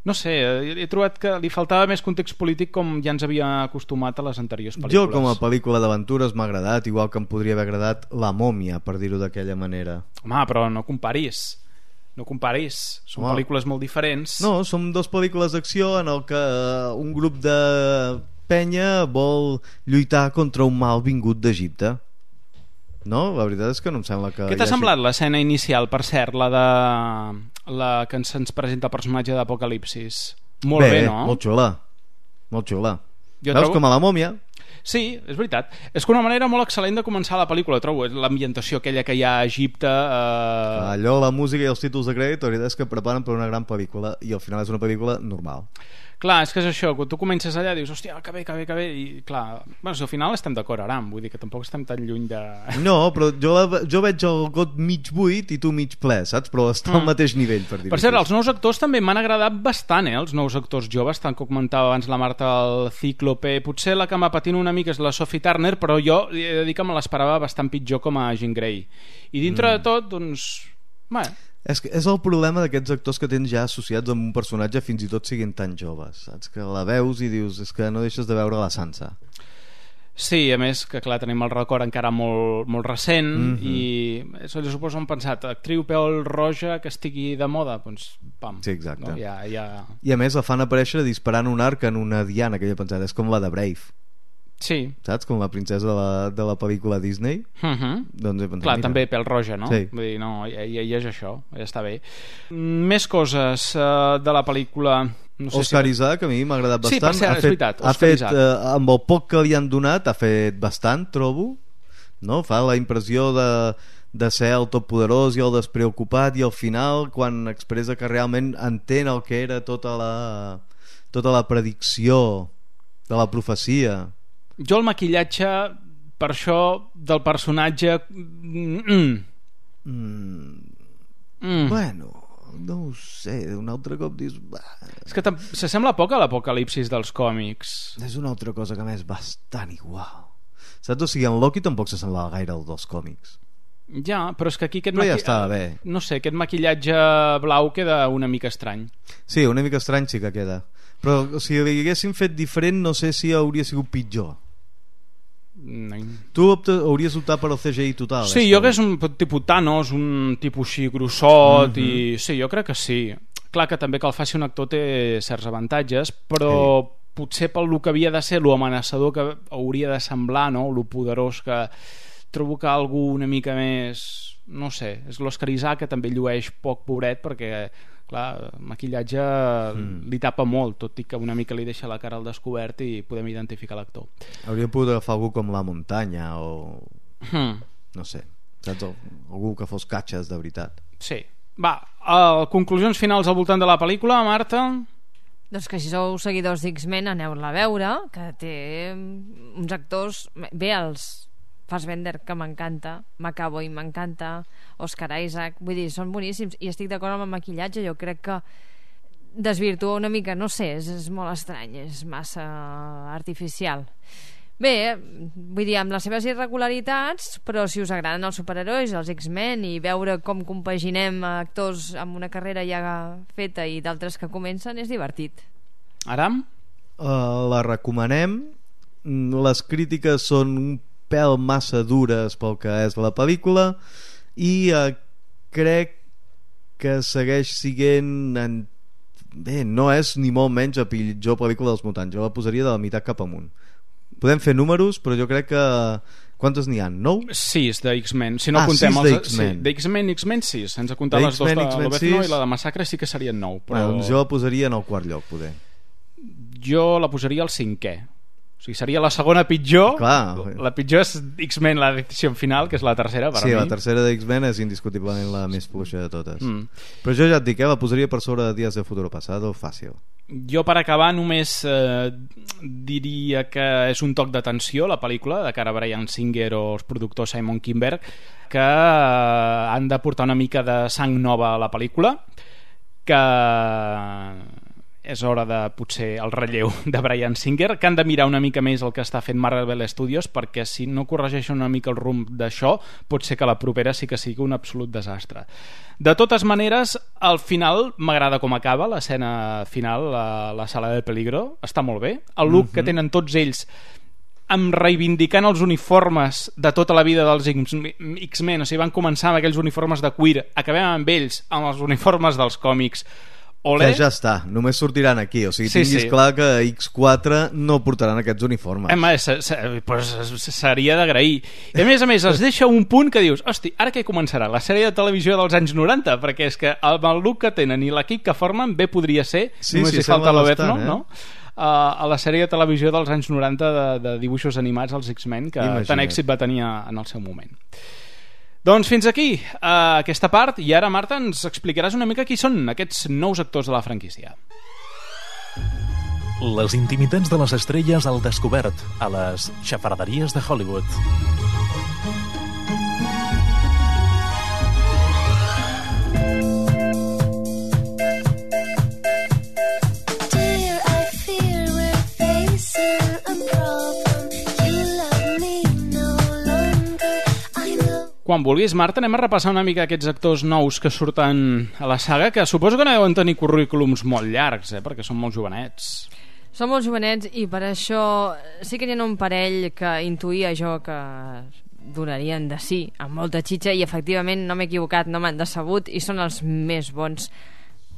no sé, he trobat que li faltava més context polític com ja ens havia acostumat a les anteriors pel·lícules. Jo com a pel·lícula d'aventures m'ha agradat, igual que em podria haver agradat La Mòmia, per dir-ho d'aquella manera. Home, però no comparis. No comparis, són Home. pel·lícules molt diferents. No, són dues pel·lícules d'acció en el que un grup de penya vol lluitar contra un mal vingut d'Egipte. No? La veritat és que no em sembla que... Què t'ha semblat l'escena inicial, per cert, la de la que se'ns presenta el personatge d'Apocalipsis? Molt bé, bé, no? Molt xula, molt xula. Jo Veus trobo... com a La Mòmia? Sí, és veritat. És que una manera molt excel·lent de començar la pel·lícula, trobo. L'ambientació aquella que hi ha a Egipte... Eh... Allò, la música i els títols de crèdit, la veritat és que preparen per una gran pel·lícula i al final és una pel·lícula normal. Clar, és que és això, quan tu comences allà dius, hòstia, que bé, que bé, que bé, i clar, bueno, si al final estem d'acord, Aram, vull dir que tampoc estem tan lluny de... No, però jo, la, jo veig el got mig buit i tu mig ple, saps? Però està al mm. mateix nivell, per dir-ho. Per cert, els nous actors també m'han agradat bastant, eh? Els nous actors joves, tant com comentava abans la Marta, el Cíclope, potser la que m'apatina una mica és la Sophie Turner, però jo he de dir que me l'esperava bastant pitjor com a Jean Grey. I dintre mm. de tot, doncs... Bé... És, que és el problema d'aquests actors que tens ja associats amb un personatge fins i tot siguin tan joves, saps? Que la veus i dius, és que no deixes de veure la Sansa. Sí, a més que clar, tenim el record encara molt, molt recent mm-hmm. i això, jo suposo han pensat, actriu pèl roja que estigui de moda, doncs pam. Sí, exacte. No? Ja, ja... I a més la fan aparèixer disparant un arc en una diana, que jo he pensat, és com la de Brave. Sí. Saps? Com la princesa de la, de la pel·lícula Disney. Uh-huh. Doncs he pensat, clar, mira. també pèl roja, no? Sí. Vull dir, no, ja, ja, ja és això, ja està bé. Més coses uh, de la pel·lícula... No sé Oscar si... Isaac a mi m'ha agradat bastant. Sí, per cert, ha és fet, veritat, ha Oscar fet, Isaac. eh, amb el poc que li han donat ha fet bastant, trobo, no? Fa la impressió de, de ser el totpoderós i el despreocupat, i al final quan expressa que realment entén el que era tota la, tota la predicció de la profecia. Jo el maquillatge, per això, del personatge... Mm. Mm. Mm. Bueno, no ho sé, un altre cop dius... Bah. És que s'assembla poc a l'apocalipsis dels còmics. És una altra cosa que a més bastant igual. Saps? O sigui, en Loki tampoc s'assemblava gaire al dels còmics. Ja, però és que aquí aquest, però ja maqui... estava bé. No sé, aquest maquillatge blau queda una mica estrany. Sí, una mica estrany sí que queda. Però si li haguessin fet diferent no sé si hauria sigut pitjor. No. Tu optes, hauries optat per al C G I total. Sí, jo crec que és un tipus Thanos, un tipus així grossot, mm-hmm. i sí, jo crec que sí. Clar que també que el faci un actor té certs avantatges, però sí. Potser pel que havia de ser, lo amenaçador que hauria de semblar, no? Lo poderós que trobo que algú una mica més, no sé, és l'Oscar Isaac que també llueix poc, pobret, perquè clar, el maquillatge mm. li tapa molt, tot i que una mica li deixa la cara al descobert i podem identificar l'actor. Hauríem pogut agafar algú com La Muntanya o... Mm. no sé, saps? Algú que fos catxes de veritat. Sí. Va, uh, conclusions finals al voltant de la pel·lícula, Marta? Doncs que si sou seguidors d'X-Men aneu-la a veure, que té uns actors... Bé, els Fassbender, que m'encanta, McAvoy m'encanta, Oscar Isaac, vull dir, són boníssims, i estic d'acord amb el maquillatge. Jo crec que desvirtua una mica, no sé, és, és molt estrany, és massa artificial. Bé, vull dir, amb les seves irregularitats, però si us agraden els superherois, els X-Men, i veure com compaginem actors amb una carrera ja feta i d'altres que comencen, és divertit. Aram? Uh, la recomanem. Les crítiques són un pèl massa dures pel que és la pel·lícula, i uh, crec que segueix siguent en... bé, no és ni molt menys la pitjor pel·lícula dels mutants. Jo la posaria de la meitat cap amunt. Podem fer números, però jo crec que... Quantes n'hi ha? Nou? Sis de X-Men. Si no ah, contem sis els... Sí, d'X-Men, X-Men sis. Sense comptar les dues de l'Obezno i la de Massacre sí que serien nou. Però... Bueno, doncs jo la posaria en el quart lloc, poder. Jo la posaria al cinquè. O sigui, seria la segona pitjor. Clar. La pitjor és X-Men, la decisió final, que és la tercera per sí, mi. Sí, la tercera de X-Men és indiscutiblement la més fluixa de totes. Mm. Però jo ja et dic, eh, la posaria per sobre de Días de Futuro Pasado, fàcil. Jo, per acabar, només eh, diria que és un toc d'atenció la pel·lícula de cara a Bryan Singer o els productors Simon Kinberg, que eh, han de portar una mica de sang nova a la pel·lícula, que és hora de, potser, el relleu de Bryan Singer, que han de mirar una mica més el que està fent Marvel Studios, perquè si no corregeixen una mica el rumb d'això, pot ser que la propera sí que sigui un absolut desastre. De totes maneres, al final m'agrada com acaba l'escena final, la, la sala del peligro, està molt bé. El look mm-hmm. que tenen tots ells amb reivindicant els uniformes de tota la vida dels X-Men, o sigui, van començar amb aquells uniformes de cuir, acabem amb ells amb els uniformes dels còmics. Olé. Que ja està, només sortiran aquí, o sigui, sí, tinguis sí. clar que X quatre no portaran aquests uniformes. Home, se, se, pues, seria d'agrair. I a més a més es deixa un punt que dius, hosti, ara què començarà? La sèrie de televisió dels anys noranta? Perquè és que el, el look que tenen i l'equip que formen bé podria ser, sí, només sí, hi falta l'Obezno, eh? no? Uh, a la sèrie de televisió dels anys noranta de, de dibuixos animats, els X-Men, que Imagina't. Tant èxit va tenir en el seu moment. Doncs fins aquí uh, aquesta part, i ara, Marta, ens explicaràs una mica qui són aquests nous actors de la franquícia. Les intimitats de les estrelles al descobert a les xafarderies de Hollywood. Quan vulguis, Marta, anem a repassar una mica aquests actors nous que surten a la saga, que suposo que no deuen tenir currículums molt llargs, eh? Perquè són molt jovenets. Són molt jovenets i per això sí que hi ha un parell que intuïa jo que donarien de sí, amb molta xitxa, i efectivament no m'he equivocat, no m'han decebut i són els més bons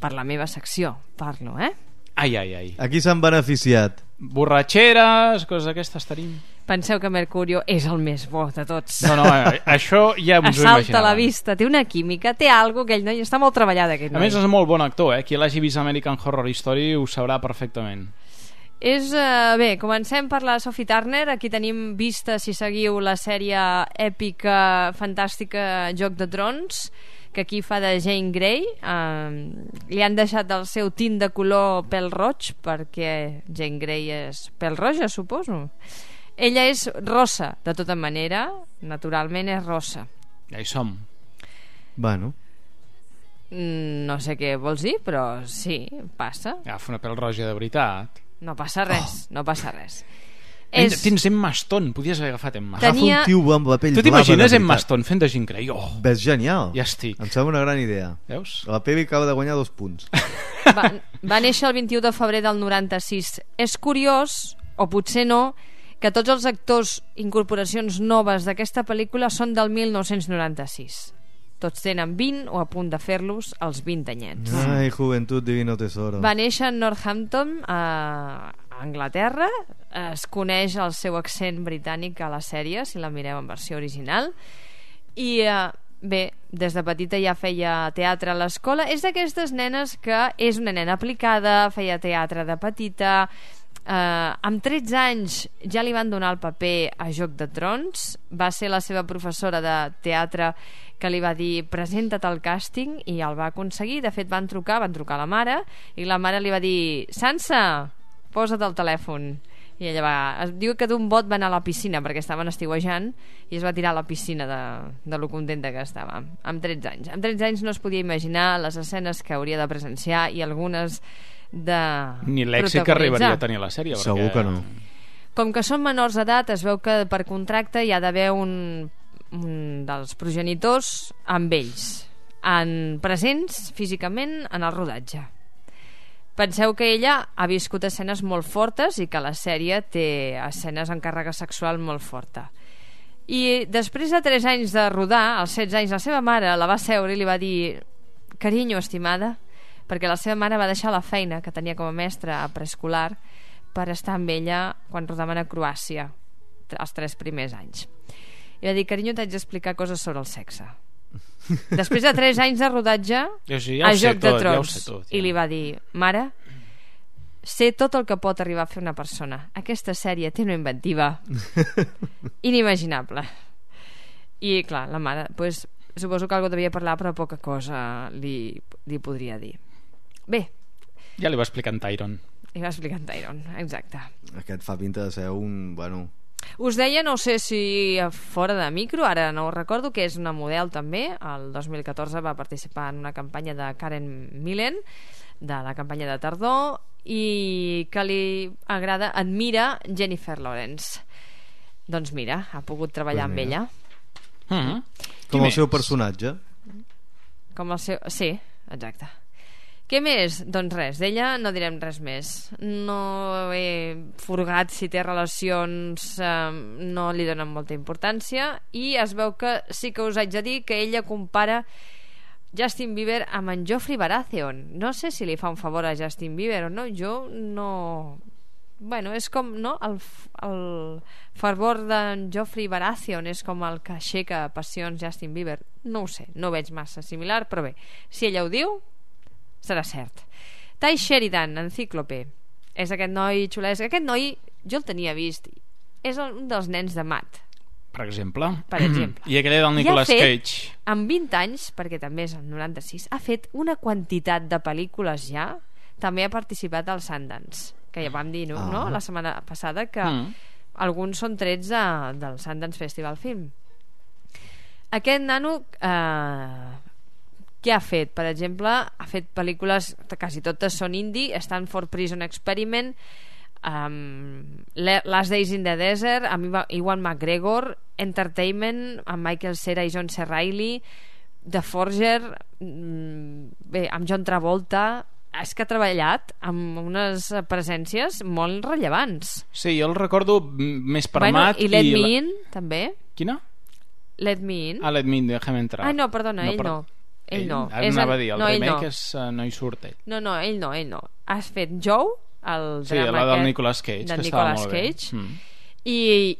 per la meva secció, parlo, eh? Ai, ai, ai. Aquí s'han beneficiat. Borratxeres, coses d'aquestes tenim. Penseu que Mercurio és el més bo de tots. No, no, això ja ens ho imaginàvem. Assalta la vista, té una química, té algo que ell noi està molt treballat, aquest noi. A més és molt bon actor, eh? Qui l'hagi vist American Horror Story ho sabrà perfectament. És, uh, bé, comencem per la Sophie Turner. Aquí tenim vista, si seguiu la sèrie èpica, fantàstica Joc de Trons, que aquí fa de Jane Grey. Uh, li han deixat el seu tint de color pèl roig, perquè Jane Grey és pèl roja, suposo. Ella és rossa, de tota manera, naturalment és rossa. Ja hi som. Bueno. No sé què vols dir, però sí, passa. Agafa una pèl roja de veritat. No passa res, oh. no passa res. És... Tens Emma Stone, podies haver agafat Emma Stone. Tenia... Agafa un tio amb la pell blava. Tu t'imagines Emma Stone fent de Jean Grey? Oh. Ves genial. Ja estic. Em sembla una gran idea. Veus? La Pebi acaba de guanyar dos punts. Va, va néixer el vint-i-u de febrer del noranta-sis. És curiós, o potser no, que tots els actors, incorporacions noves d'aquesta pel·lícula són del mil nou-cents noranta-sis. Tots tenen vint o a punt de fer-los els vint anyets. Ai, juventud divino tesoro. Va néixer a Northampton, a Anglaterra. Es coneix el seu accent britànic a la sèrie, si la mireu en versió original. I eh, bé, des de petita ja feia teatre a l'escola. És d'aquestes nenes que és una nena aplicada, feia teatre de petita. Uh, amb tretze anys ja li van donar el paper a Joc de Trons. Va ser la seva professora de teatre que li va dir presenta't al càsting, i el va aconseguir. De fet van trucar, van trucar a la mare, i la mare li va dir Sansa, posa't el telèfon. I ella va, es diu que d'un bot va anar a la piscina perquè estaven estiuejant i es va tirar a la piscina de, de lo contenta que estava, amb tretze anys. Amb tretze anys no es podia imaginar les escenes que hauria de presenciar i algunes de ni l'èxit que arribaria a tenir la sèrie, perquè... Segur que no. Com que són menors d'edat, es veu que per contracte hi ha d'haver un, un dels progenitors amb ells, en presents físicament en el rodatge. Penseu que ella ha viscut escenes molt fortes i que la sèrie té escenes amb càrrega sexual molt forta. I després de tres anys de rodar, als setze anys, la seva mare la va seure i li va dir carinyo, estimada, perquè la seva mare va deixar la feina que tenia com a mestra a preescolar per estar amb ella quan rodaven a Croàcia els tres primers anys. I va dir, carinyo, t'haig d'explicar coses sobre el sexe. Després de tres anys de rodatge sí, ja a Joc tot, de Trons, ja tot, ja. I li va dir, mare, sé tot el que pot arribar a fer una persona. Aquesta sèrie té una inventiva inimaginable. I clar, la mare, pues, suposo que algo devia parlar, però poca cosa li, li podria dir. Bé, ja li va explicar en Tyron. Li va explicar en Tyron, exacte. Aquest fa pinta de ser un... bueno... Us deia, no sé si fora de micro, ara no ho recordo, que és una model també. El dos mil catorze va participar en una campanya de Karen Millen, de la campanya de tardor, i que li agrada, admira Jennifer Lawrence. Doncs mira, ha pogut treballar pues amb ella. Mm-hmm. Com el seu personatge. Com el seu... Sí, exacte. Què més? Doncs res, d'ella no direm res més. No he furgat si té relacions, eh, no li donen molta importància, i es veu que sí que us haig de dir que ella compara Justin Bieber amb en Joffrey Baratheon. No sé si li fa un favor a Justin Bieber o no, jo no... Bueno, és com, no? El, el fervor d'en Joffrey Baratheon és com el que aixeca passions Justin Bieber. No ho sé, no ho veig massa similar, però bé, si ella ho diu, serà cert. Ty Sheridan, en Cíclope, és aquest noi xulès. Aquest noi jo el tenia vist, és un dels nens de Matt, per exemple, per exemple. I aquell del Nicolas fet, Cage, amb vint anys, perquè també és el noranta-sis, ha fet una quantitat de pel·lícules ja. També ha participat al Sundance, que ja vam dir, no? Ah. no? La setmana passada, que mm. alguns són trets de, del Sundance Festival Film. Aquest nano eh, què ha fet? Per exemple, ha fet pel·lícules, quasi totes són indie, Stanford Prison Experiment, um, Last Days in the Desert, amb Ewan McGregor, Entertainment, amb Michael Cera i John C. Reilly, The Forger, bé, amb John Travolta. És que ha treballat amb unes presències molt rellevants. Sí, jo el recordo més per bueno, Matt i Let i Me la... In també. Quina? Let Me In. Ah, Let Me In, déjame entrar. Ah, no, perdona, no, ell per... no. Ell, ell no. Ara és anava el... a dir, el no, remake no. és, uh, no hi surt ell. No, no, ell no, ell no. Has fet Joe, el sí, drama la del aquest, Nicolas Cage, de que Nicolas estava molt Cage, bé. Mm. I,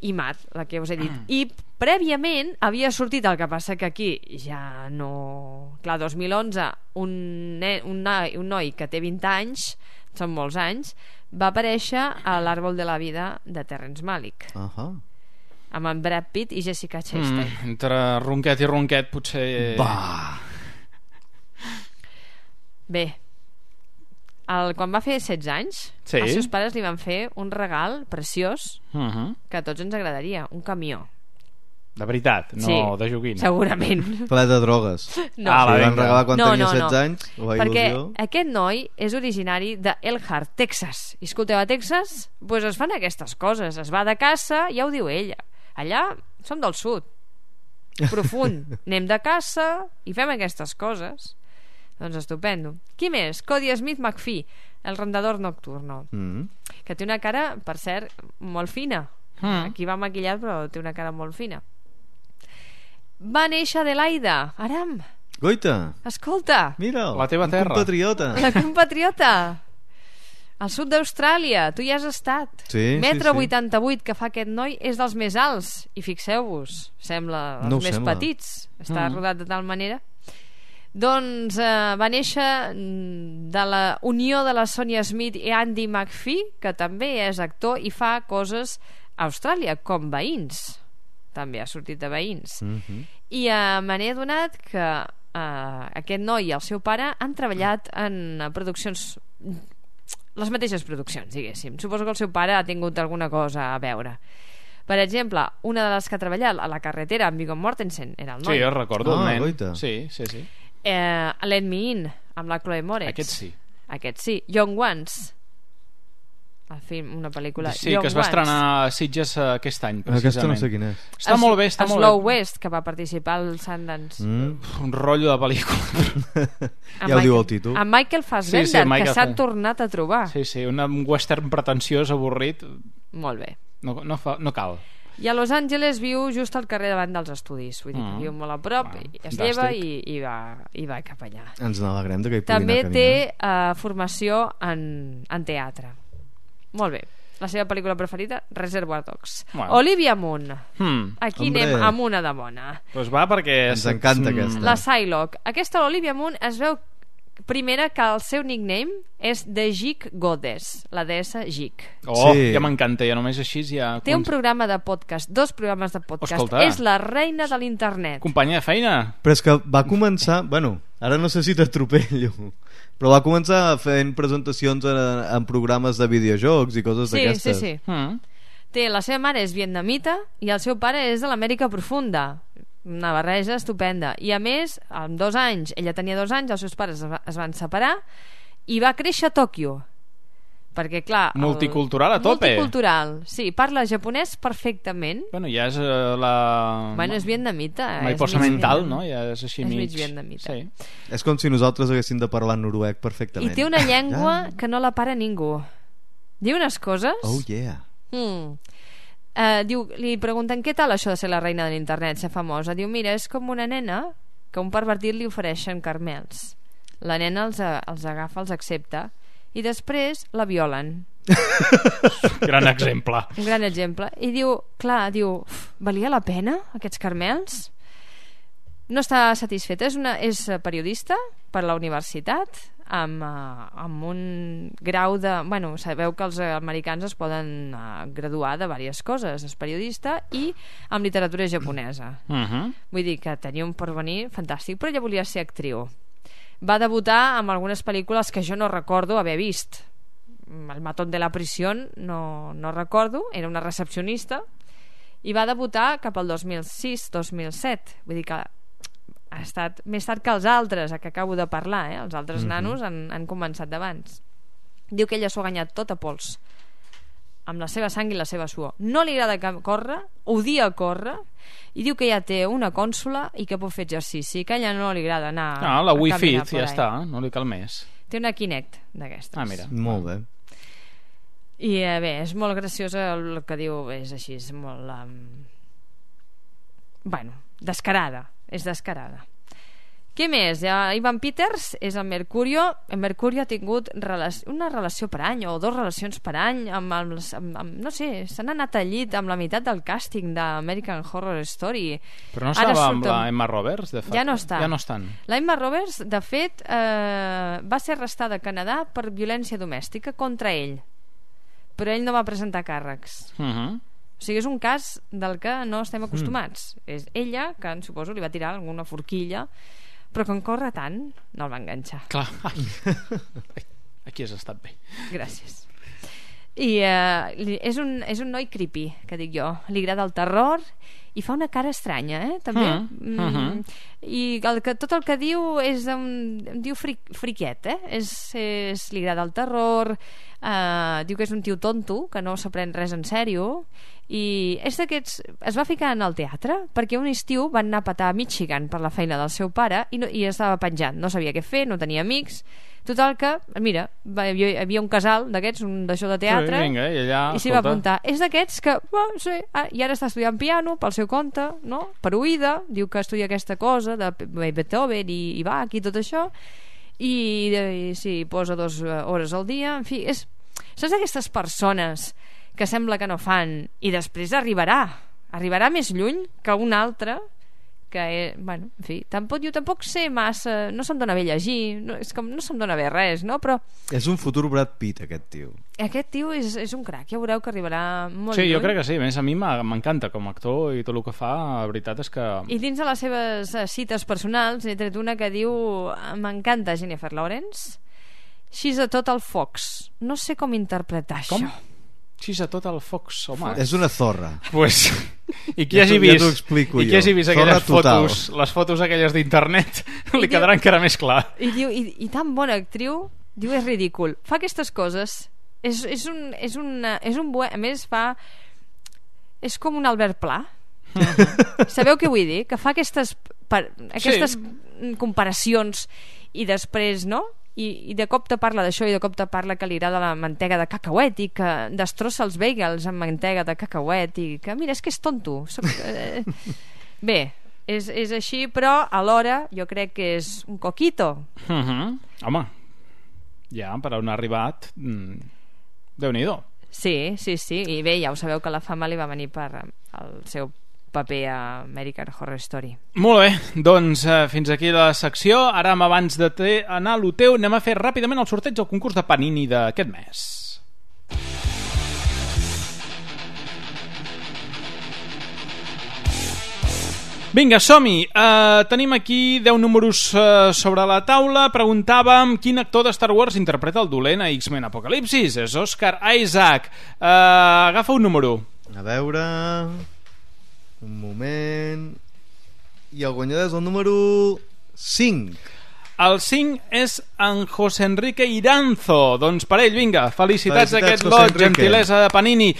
i Matt, la que us he dit. Mm. I prèviament havia sortit, el que passa que aquí ja no... Clar, dos mil onze, un, ne... un, noi, un noi que té vint anys, són molts anys, va aparèixer a l'Àrbol de la Vida de Terrence Malick. Uh -huh. Amb en Brad Pitt i Jessica Chastain. Mm, entre ronquet i ronquet potser... Va. Bé, el, quan va fer setze anys, sí. els seus pares li van fer un regal preciós uh -huh. que a tots ens agradaria, un camió. De veritat, no sí, de joguina. Segurament. Ple de drogues. No. Ah, li van regalar quan no, tenia no, no. setze anys. Perquè il·lusió. aquest noi és originari de Elkhart, Texas. I escolteu, a Texas pues es fan aquestes coses. Es va de caça, ja ho diu ella. Allà som del sud, profund. Anem de caça i fem aquestes coses. Doncs estupendo. Qui més? Cody Smith McPhee, el rondador nocturno, mm. que té una cara, per cert, molt fina. Mm. Aquí va maquillat, però té una cara molt fina. Va néixer Adelaida, Aram. Goita. Escolta. Mira, la teva terra. Un compatriota. La compatriota. Al sud d'Austràlia, tu hi has estat. Sí, Metre sí, sí. vuitanta-vuit que fa aquest noi és dels més alts. I fixeu-vos, sembla els no més sembla. petits. Està Mm. rodat de tal manera. Doncs eh, va néixer de la unió de la Sonia Smith i Andy McPhee, que també és actor i fa coses a Austràlia, com Veïns. També ha sortit de Veïns. Mm-hmm. I eh, me n'he adonat que eh, aquest noi i el seu pare han treballat en eh, produccions, les mateixes produccions, diguéssim. Suposo que el seu pare ha tingut alguna cosa a veure. Per exemple, una de les que ha treballat a La carretera amb Viggo Mortensen era el noi. Sí, jo recordo Ah, el nen. goita. Sí, sí, sí. Eh, Let Me In, amb la Chloe Moretz. Aquest sí. Aquest sí. Young Ones, el film, una pel·lícula. Sí, Young que es va Ones. estrenar a Sitges eh, aquest any, precisament. Aquesta no sé quina és. Està Es- molt bé, està molt Slow bé. West, que va participar al Sundance. Mm. Un rotllo de pel·lícula. Amb Ja ho diu Michael- el títol. Amb Michael Fassbender, Sí, sí, Michael que s'ha Fass- tornat a trobar. Sí, sí, un western pretensiós, avorrit. Molt bé. No, no, fa, no cal. I a Los Angeles viu just al carrer davant dels estudis. Vull dir, Mm. viu molt a prop, Ah, i es fantàstic. lleva i, i, va, i va cap allà. Ens n'alegrem de que hi pugui També anar a té uh, formació en, en teatre. Molt bé. La seva pel·lícula preferida, Reservoir Dogs. Bueno. Olivia Munn. Hmm. Aquí Hombre. anem amb una de bona. Doncs va, perquè... Ens encanta Mm, aquesta. La Psylocke. Aquesta, l'Olivia Munn, es veu primera que el seu nickname és The Geek Goddess, la deessa Geek. Oh, Sí. ja m'encanta, ja només així ja... Té un programa de podcast, dos programes de podcast. Escolta. És la reina de l'internet. Companya de feina. Però és que va començar... Bueno, ara no sé si t'atropello, però va començar fent presentacions en, en programes de videojocs i coses Sí, sí, d'aquestes. sí. Mm. Té, la seva mare és vietnamita i el seu pare és de l'Amèrica profunda. Una barreja estupenda. I a més, amb dos anys, ella tenia dos anys, els seus pares es, va, es van separar i va créixer a Tòquio. Perquè, clar... el- Multicultural a tope. Multicultural, sí. Parla japonès perfectament. Bueno, ja és uh, la... Bueno, és vietnamita. Mai és posa mig mental, vietnam- no? Ja és així és mig... mig vietnamita. Sí. És com si nosaltres haguéssim de parlar noruec perfectament. I té una llengua que no la para ningú. Diu unes coses... Oh, yeah. Mm. Uh, diu, li pregunten què tal això de ser la reina de l'internet, ser famosa. Diu, mira, és com una nena que un pervertit li ofereixen carmels. La nena els, a, els agafa, els accepta i després la violen. Gran exemple. Un gran exemple. I diu, clar, diu, "Uf, valia la pena aquests carmels? No està satisfeta. És, una, és periodista per la universitat amb, uh, amb un grau de... Bueno, sabeu que els americans es poden uh, graduar de diverses coses. És periodista i amb literatura japonesa. Uh -huh. Vull dir que tenia un porvenir fantàstic, però ella volia ser actriu. Va debutar amb algunes pel·lícules que jo no recordo haver vist. el matón de la prisión, no, no recordo, era una recepcionista, i va debutar cap al dos mil sis dos mil set, vull dir que ha estat més tard que els altres, a que acabo de parlar, eh? Els altres Mhm. nanos han, han començat d'abans. Diu que ella s'ho ha guanyat tot a pols, amb la seva sang i la seva suor. No li agrada córrer, odia córrer, i diu que ja té una cònsola i que pot fer exercici, que a ella no li agrada anar Ah, la a Wii caminar Fit, por ja ahí. està, no li cal més. Té una Kinect d'aquestes. Ah, mira. Molt bé. I eh, bé, és molt graciosa el que diu, és així, és molt... Um... Bueno, descarada, és descarada. Què més? Ja, Ivan Peters és el Mercurio. El Mercurio ha tingut relac una relació per any o dues relacions per any amb, els, amb, amb no sé, s'han anat al llit amb la meitat del càsting d'American Horror Story. Però no Ara estava amb surt la Emma Roberts? De fa... Ja no està. Ja no estan. La Emma Roberts, de fet, eh, va ser arrestada a Canadà per violència domèstica contra ell, però ell no va presentar càrrecs. Uh -huh. O sigui, és un cas del que no estem acostumats. Mm. És ella, que en suposo li va tirar alguna forquilla, però com corre tant, no el va enganxar. Clar. Aquí has estat bé. Gràcies. I eh, és, un, és un noi creepy, que dic jo. Li agrada el terror i fa una cara estranya, eh? També. Mm. Mm. Uh-huh. I el que, tot el que diu és un, diu fric, friquiet, eh? És, és, li agrada el terror, eh, diu que és un tio tonto, que no s'aprèn res en sèrio, i és d'aquests... Es va ficar en el teatre perquè un estiu van anar a petar a Michigan per la feina del seu pare i, no, i estava penjant, no sabia què fer, no tenia amics. Total que, mira, va, hi havia un casal d'aquests, un d'això de teatre, sí, vinga, i, allà, i s'hi va apuntar. És d'aquests que, oh, sí, ah, i ara està estudiant piano pel seu compte, no? Per oïda, diu que estudia aquesta cosa de Beethoven i, i Bach i tot això, i, i sí, posa dues hores al dia, en fi, és, saps aquestes persones que sembla que no fan i després arribarà arribarà més lluny que un altre que, eh, bueno, en fi, tampoc, jo tampoc sé massa, no se'm dona bé llegir, no, és com no se'm dona bé res, no? Però és un futur Brad Pitt, aquest tio. Aquest tio és, és un crac, ja veureu que arribarà molt sí, lluny. jo crec que sí, a més a mi m'encanta com a actor i tot el que fa, la veritat és que... I dins de les seves eh, cites personals he tret una que diu: m'encanta Jennifer Lawrence, she's a total fox. No sé com interpretar com? això. She's a total fox, home. És una zorra. Pues, i qui ja hagi ja vist, explico i qui jo. hagi vist Zorra aquelles total. fotos, les fotos aquelles d'internet, li diu- quedarà encara més clar. I diu, i, i tan bona actriu, diu, és ridícul. Fa aquestes coses, és, és un, és un, és un buen, a més fa, és com un Albert Pla. Sabeu què vull dir? Que fa aquestes, per, aquestes sí. comparacions i després, no? I, i de cop te parla d'això i de cop te parla que li agrada la mantega de cacauet i que destrossa els bagels amb mantega de cacauet i que, mira, és que és tonto. Soc, eh... Bé, és, és així, però alhora jo crec que és un coquito. Uh -huh. Home, ja per on ha arribat, mm, Déu-n'hi-do. Sí, sí, sí, i bé, ja ho sabeu que la fama li va venir per el seu paper a American Horror Story. Molt bé, doncs eh, fins aquí la secció. Ara, abans de te anar a lo teu, anem a fer ràpidament el sorteig del concurs de Panini d'aquest mes. Vinga, som-hi. Uh, tenim aquí deu números uh, sobre la taula. Preguntàvem quin actor de Star Wars interpreta el dolent a X-Men Apocalipsis. És Oscar Isaac. Uh, agafa un número. A veure... Un moment... I el guanyador és el número cinc. El cinc és en José Enrique Iranzo. Doncs per ell, vinga, felicitats, Felicitats, d'aquest José lot, Enrique. gentilesa de Panini.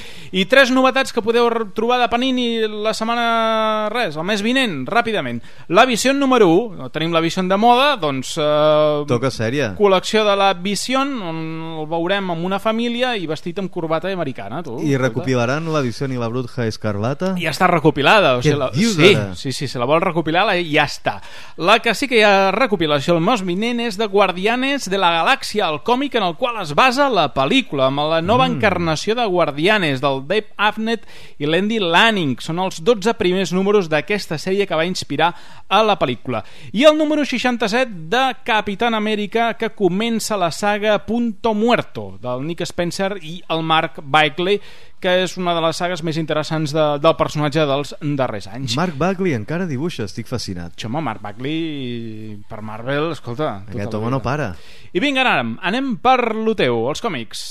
I tres novetats que podeu trobar de Panini la setmana, res, el mes vinent, ràpidament. La Vision número u, tenim la Vision de moda, doncs... Eh, Toca sèrie. Col·lecció de la Vision, on el veurem amb una família i vestit amb corbata americana, tu. I recopilaran la Vision i la Bruja Escarlata? Ja està recopilada. O Què sigui, la... dius sí, ara? sí, sí, se la vol recopilar, la... ja està. La que sí que hi ha recopilació el mes vinent és de Guardianes de la Galàxia, el còmic en el qual es basa la pel·lícula, amb la nova mm. encarnació de Guardianes, del Dave Abnett i l'Andy Lanning. Són els dotze primers números d'aquesta sèrie que va inspirar a la pel·lícula. I el número seixanta-set de Capitán Amèrica, que comença la saga Punto Muerto, del Nick Spencer i el Mark Bagley, que és una de les sagues més interessants de, del personatge dels darrers anys. Mark Bagley encara dibuixa, estic fascinat. Home, Mark Bagley per Marvel, escolta... Aquest home no para. I vinga, anem, anem per lo teu, els còmics.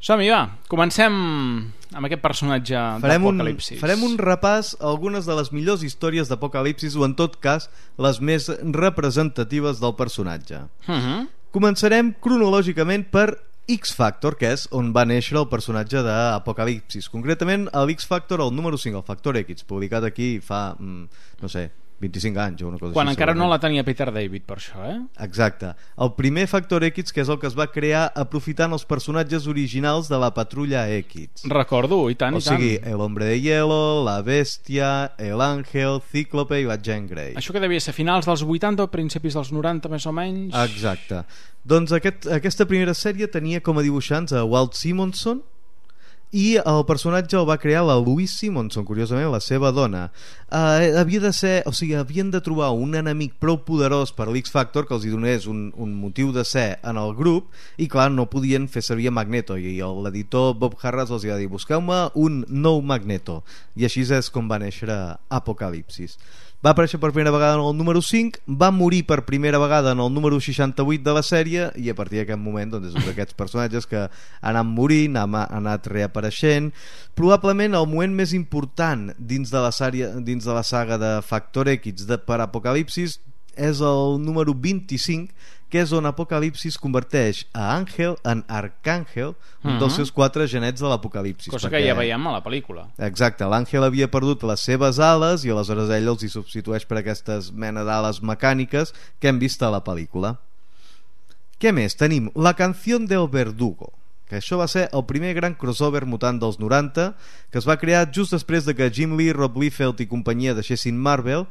Som-hi, va, comencem amb aquest personatge d'Apocalipsis. Farem un repàs a algunes de les millors històries d'Apocalipsis, o en tot cas les més representatives del personatge. Uh-huh. Començarem cronològicament per X-Factor, que és on va néixer el personatge d'Apocalipsis. Concretament, l'X-Factor, el número cinc, el Factor X, publicat aquí fa, no sé, vint-i-cinc anys o una cosa Quan així. encara no la tenia Peter David, per això, eh? Exacte. El primer Factor X, que és el que es va crear aprofitant els personatges originals de la Patrulla X. Recordo, i tant, o i tant. O sigui, el Hombre de Hielo, la Bèstia, el Àngel, Cíclope i la Jean Grey. Això que devia ser finals dels vuitanta o principis dels noranta, més o menys. Exacte. Doncs aquest, aquesta primera sèrie tenia com a dibuixants a Walt Simonson, i el personatge el va crear la Louise Simonson, curiosament la seva dona. Uh, havia de ser, o sigui, havien de trobar un enemic prou poderós per l'X-Factor que els hi donés un, un motiu de ser en el grup, i clar, no podien fer servir Magneto, i l'editor Bob Harras els va dir, busqueu-me un nou Magneto, i així és com va néixer Apocalipsis. Va aparèixer per primera vegada en el número cinc, va morir per primera vegada en el número seixanta-vuit de la sèrie, i a partir d'aquest moment doncs, és un d'aquests personatges que ha anat morint, ha anat reapareixent. Probablement el moment més important dins de la, sèrie, dins de la saga de Factor X de, per Apocalipsis és el número vint-i-cinc, que és on Apocalipsis converteix a Àngel en Arcàngel, un uh-huh. dels seus quatre genets de l'Apocalipsis. Cosa perquè... que ja veiem a la pel·lícula. Exacte, l'Àngel havia perdut les seves ales i aleshores ell els hi substitueix per aquestes mena d'ales mecàniques que hem vist a la pel·lícula. Què més? Tenim La Canción del Verdugo, que això va ser el primer gran crossover mutant dels noranta, que es va crear just després de que Jim Lee, Rob Liefeld i companyia deixessin Marvel.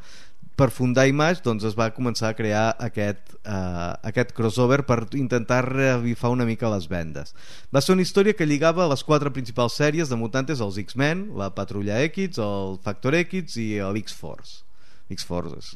Per fundar Image, doncs es va començar a crear aquest, uh, aquest crossover per intentar revifar una mica les vendes. Va ser una història que lligava les quatre principals sèries de mutantes, els X-Men, la Patrulla X, el Factor X i l'X-Force. X-Force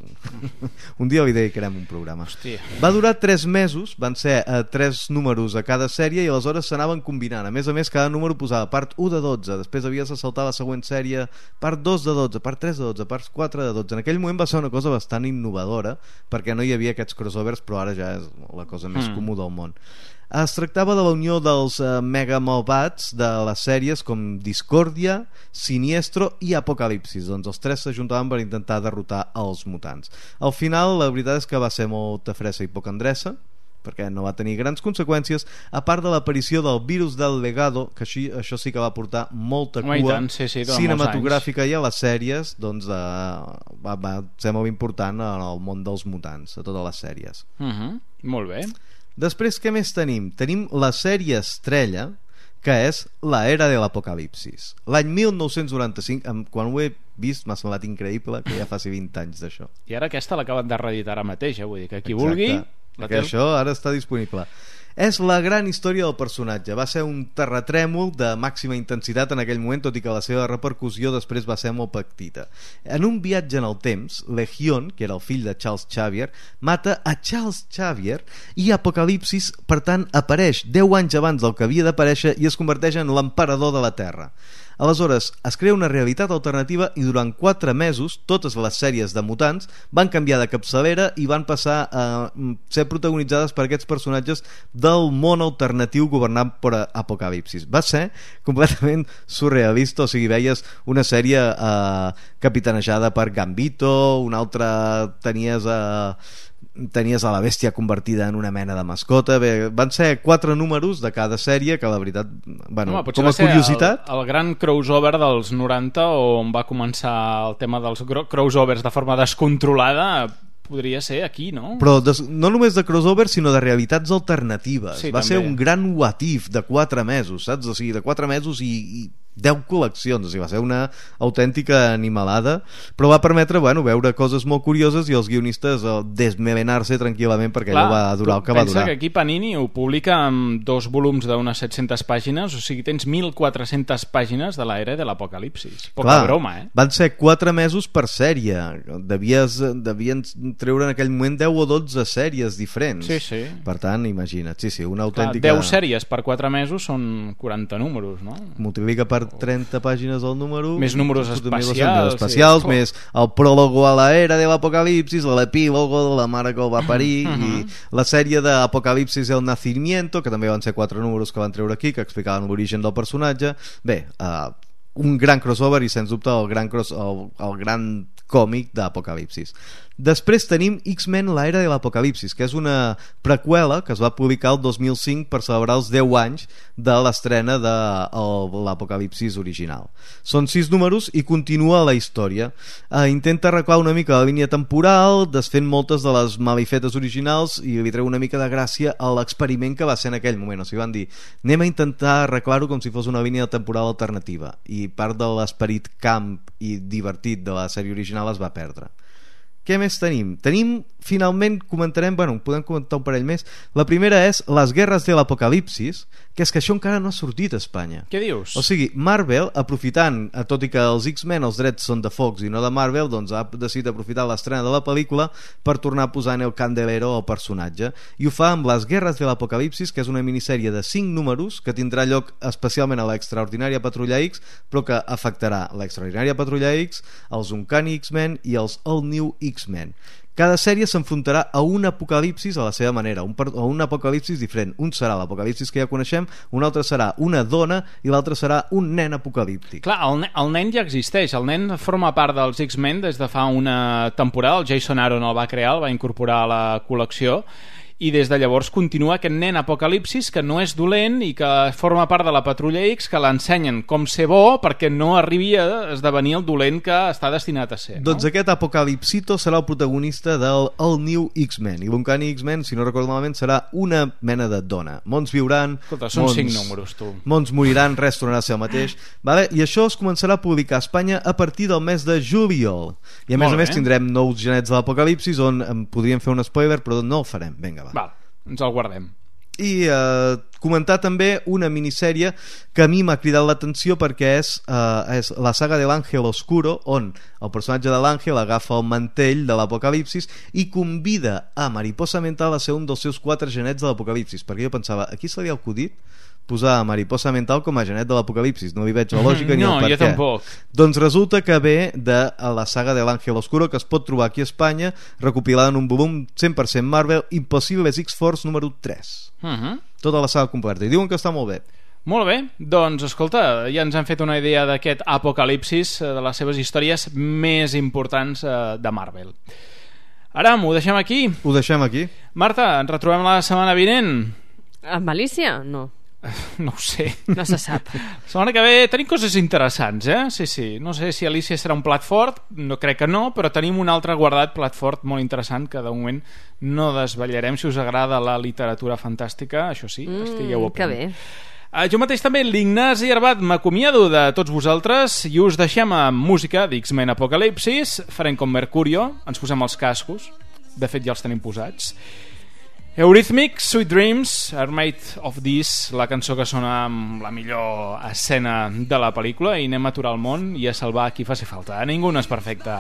un dia li dedicarem un programa. Hòstia. Va durar tres mesos, van ser uh, tres números a cada sèrie i aleshores s'anaven combinant. A més a més, cada número posava part u de dotze, després havies de saltar la següent sèrie, part dos de dotze, part tres de dotze, part quatre de dotze. En aquell moment va ser una cosa bastant innovadora perquè no hi havia aquests crossovers, però ara ja és la cosa més mm. comú del món. Es tractava de la unió dels uh, mega malvats de les sèries com Discordia, Siniestro i Apocalipsis. Doncs els tres s'ajuntaven per intentar derrotar els mutants. Al final, la veritat és que va ser molta fressa i poca endreça, perquè no va tenir grans conseqüències, a part de l'aparició del virus del legado, que així, això sí que va portar molta cua oh, tant, sí, sí, cinematogràfica i a les sèries, doncs uh, va, va ser molt important en el món dels mutants, a totes les sèries. Uh-huh. Molt bé. Després, què més tenim? Tenim la sèrie estrella, que és la Era de l'Apocalipsis. L'any mil nou-cents noranta-cinc, quan ho he vist m'ha semblat increïble que ja faci vint anys d'això. I ara aquesta l'acaben de reeditar ara mateix, eh? Vull dir que qui Exacte. vulgui... Que té... això ara està disponible. És la gran història del personatge. Va ser un terratrèmol de màxima intensitat en aquell moment, tot i que la seva repercussió després va ser molt petita. En un viatge en el temps, Legion, que era el fill de Charles Xavier, mata a Charles Xavier i Apocalipsis, per tant, apareix deu anys abans del que havia d'aparèixer i es converteix en l'emperador de la Terra. Aleshores, es crea una realitat alternativa i durant quatre mesos totes les sèries de mutants van canviar de capçalera i van passar a ser protagonitzades per aquests personatges del món alternatiu governat per Apocalipsis. Va ser completament surrealista, o sigui, veies una sèrie eh, capitanejada per Gambito, una altra tenies a... Eh, tenies a la bèstia convertida en una mena de mascota. Bé, van ser quatre números de cada sèrie que la veritat, bueno, Home, com a curiositat el, el gran crossover dels noranta on va començar el tema dels crossovers de forma descontrolada, podria ser aquí, no? Però des, no només de crossover, sinó de realitats alternatives. Sí, va també. ser un gran what if de quatre mesos, saps? O sigui, de quatre mesos i, i deu col·leccions, o sigui, va ser una autèntica animalada, però va permetre, bueno, veure coses molt curioses i els guionistes eh, desmelenar-se tranquil·lament perquè Clar, allò va durar el que va durar. Pensa que aquí Panini ho publica amb dos volums d'unes set-centes pàgines, o sigui, tens mil quatre-centes pàgines de l'era de l'Apocalipsis. Poca Clar, broma, eh? Van ser quatre mesos per sèrie. Devies, devien treure en aquell moment deu o dotze sèries diferents. Sí, sí. Per tant, imagina't, sí, sí, una autèntica... Clar, deu sèries per quatre mesos són quaranta números, no? Multiplica per trenta pàgines al número, més números especials, especials sí. Més el prólogo a la era de l'apocalipsis, l'epílogo de la mare que el va parir, uh -huh. i la sèrie d'Apocalipsis el Nacimiento, que també van ser quatre números que van treure aquí, que explicaven l'origen del personatge. Bé, uh, un gran crossover i sens dubte el gran, cross, el, el gran còmic d'Apocalipsis. Després tenim X-Men la era de l'Apocalipsis, que és una preqüela que es va publicar el dos mil cinc per celebrar els deu anys de l'estrena de l'Apocalipsis original. Són sis números i continua la història. Eh, intenta arreglar una mica la línia temporal, desfent moltes de les malifetes originals, i li treu una mica de gràcia a l'experiment que va ser en aquell moment. O sigui, van dir, anem a intentar arreglar-ho com si fos una línia temporal alternativa, i part de l'esperit camp i divertit de la sèrie original es va perdre. Què més tenim? Tenim, finalment, comentarem, bueno, podem comentar un parell més. La primera és Les guerres de l'Apocalipsis, que és que això encara no ha sortit a Espanya. Què dius? O sigui, Marvel, aprofitant, tot i que els X-Men, els drets són de Fox i no de Marvel, doncs ha decidit aprofitar l'estrena de la pel·lícula per tornar a posar en el candelero al personatge, i ho fa amb Les guerres de l'Apocalipsis, que és una minissèrie de cinc números que tindrà lloc especialment a l'Extraordinària Patrulla X, però que afectarà l'Extraordinària Patrulla X, els Uncanny X-Men i els All New X-Men. Cada sèrie s'enfrontarà a un apocalipsis a la seva manera, un, a un apocalipsis diferent. Un serà l'apocalipsis que ja coneixem, un altre serà una dona i l'altre serà un nen apocalíptic. Clar, el, el nen ja existeix, el nen forma part dels X-Men des de fa una temporada, el Jason Aaron el va crear, el va incorporar a la col·lecció, i des de llavors continua aquest nen Apocalipsis que no és dolent i que forma part de la Patrulla X, que l'ensenyen com ser bo perquè no arribi a esdevenir el dolent que està destinat a ser, no? Doncs aquest Apocalipsito serà el protagonista del All New X-Men, i l'Uncanny X-Men, si no recordo malament, serà una mena de dona. Mons viuran, escolta, són mons, cinc números, tu. Mons moriran, res tornarà a ser el mateix, vale? I això es començarà a publicar a Espanya a partir del mes de juliol, i a més Molt a més bé. tindrem nous genets de l'Apocalipsis on en podríem fer un spoiler, però no el farem. Vinga, va. Val, ens el guardem. I eh, comentar també una minissèrie que a mi m'ha cridat l'atenció perquè és, eh, és la saga de l'Àngel Oscuro, on el personatge de l'Àngel agafa el mantell de l'Apocalipsis i convida a Mariposa Mental a ser un dels seus quatre genets de l'Apocalipsis, perquè jo pensava, aquí se li ha acudit posar Mariposa Mental com a genet de l'Apocalipsis, no li veig la lògica ni no, el per jo què. tampoc. Doncs resulta que ve de la saga de l'Àngel Oscuro, que es pot trobar aquí a Espanya, recopilada en un volum cent per cent Marvel, Impossibles X-Force número tres. Uh -huh. Tota la saga completa, i diuen que està molt bé. Molt bé, doncs escolta, ja ens han fet una idea d'aquest Apocalipsis, de les seves històries més importants de Marvel. Aram, ho deixem aquí? Ho deixem aquí. Marta, ens retrobem la setmana vinent? Amb Alicia? No. No ho sé. No se sap. La setmana que ve tenim coses interessants, eh? Sí, sí. No sé si Alicia serà un plat fort, no crec que no, però tenim un altre guardat plat fort molt interessant que de moment no desvetllarem. Si us agrada la literatura fantàstica, això sí, mm, estigueu a punt. Que bé. Uh, jo mateix també, l'Ignasi Arbat, m'acomiado de tots vosaltres i us deixem amb música d'X-Men Apocalipsis. Farem com Mercurio, ens posem els cascos, de fet ja els tenim posats. Eurythmics, Sweet Dreams Are Made of This, la cançó que sona amb la millor escena de la pel·lícula, i anem a aturar el món i a salvar qui faci falta. Ningú no és perfecte.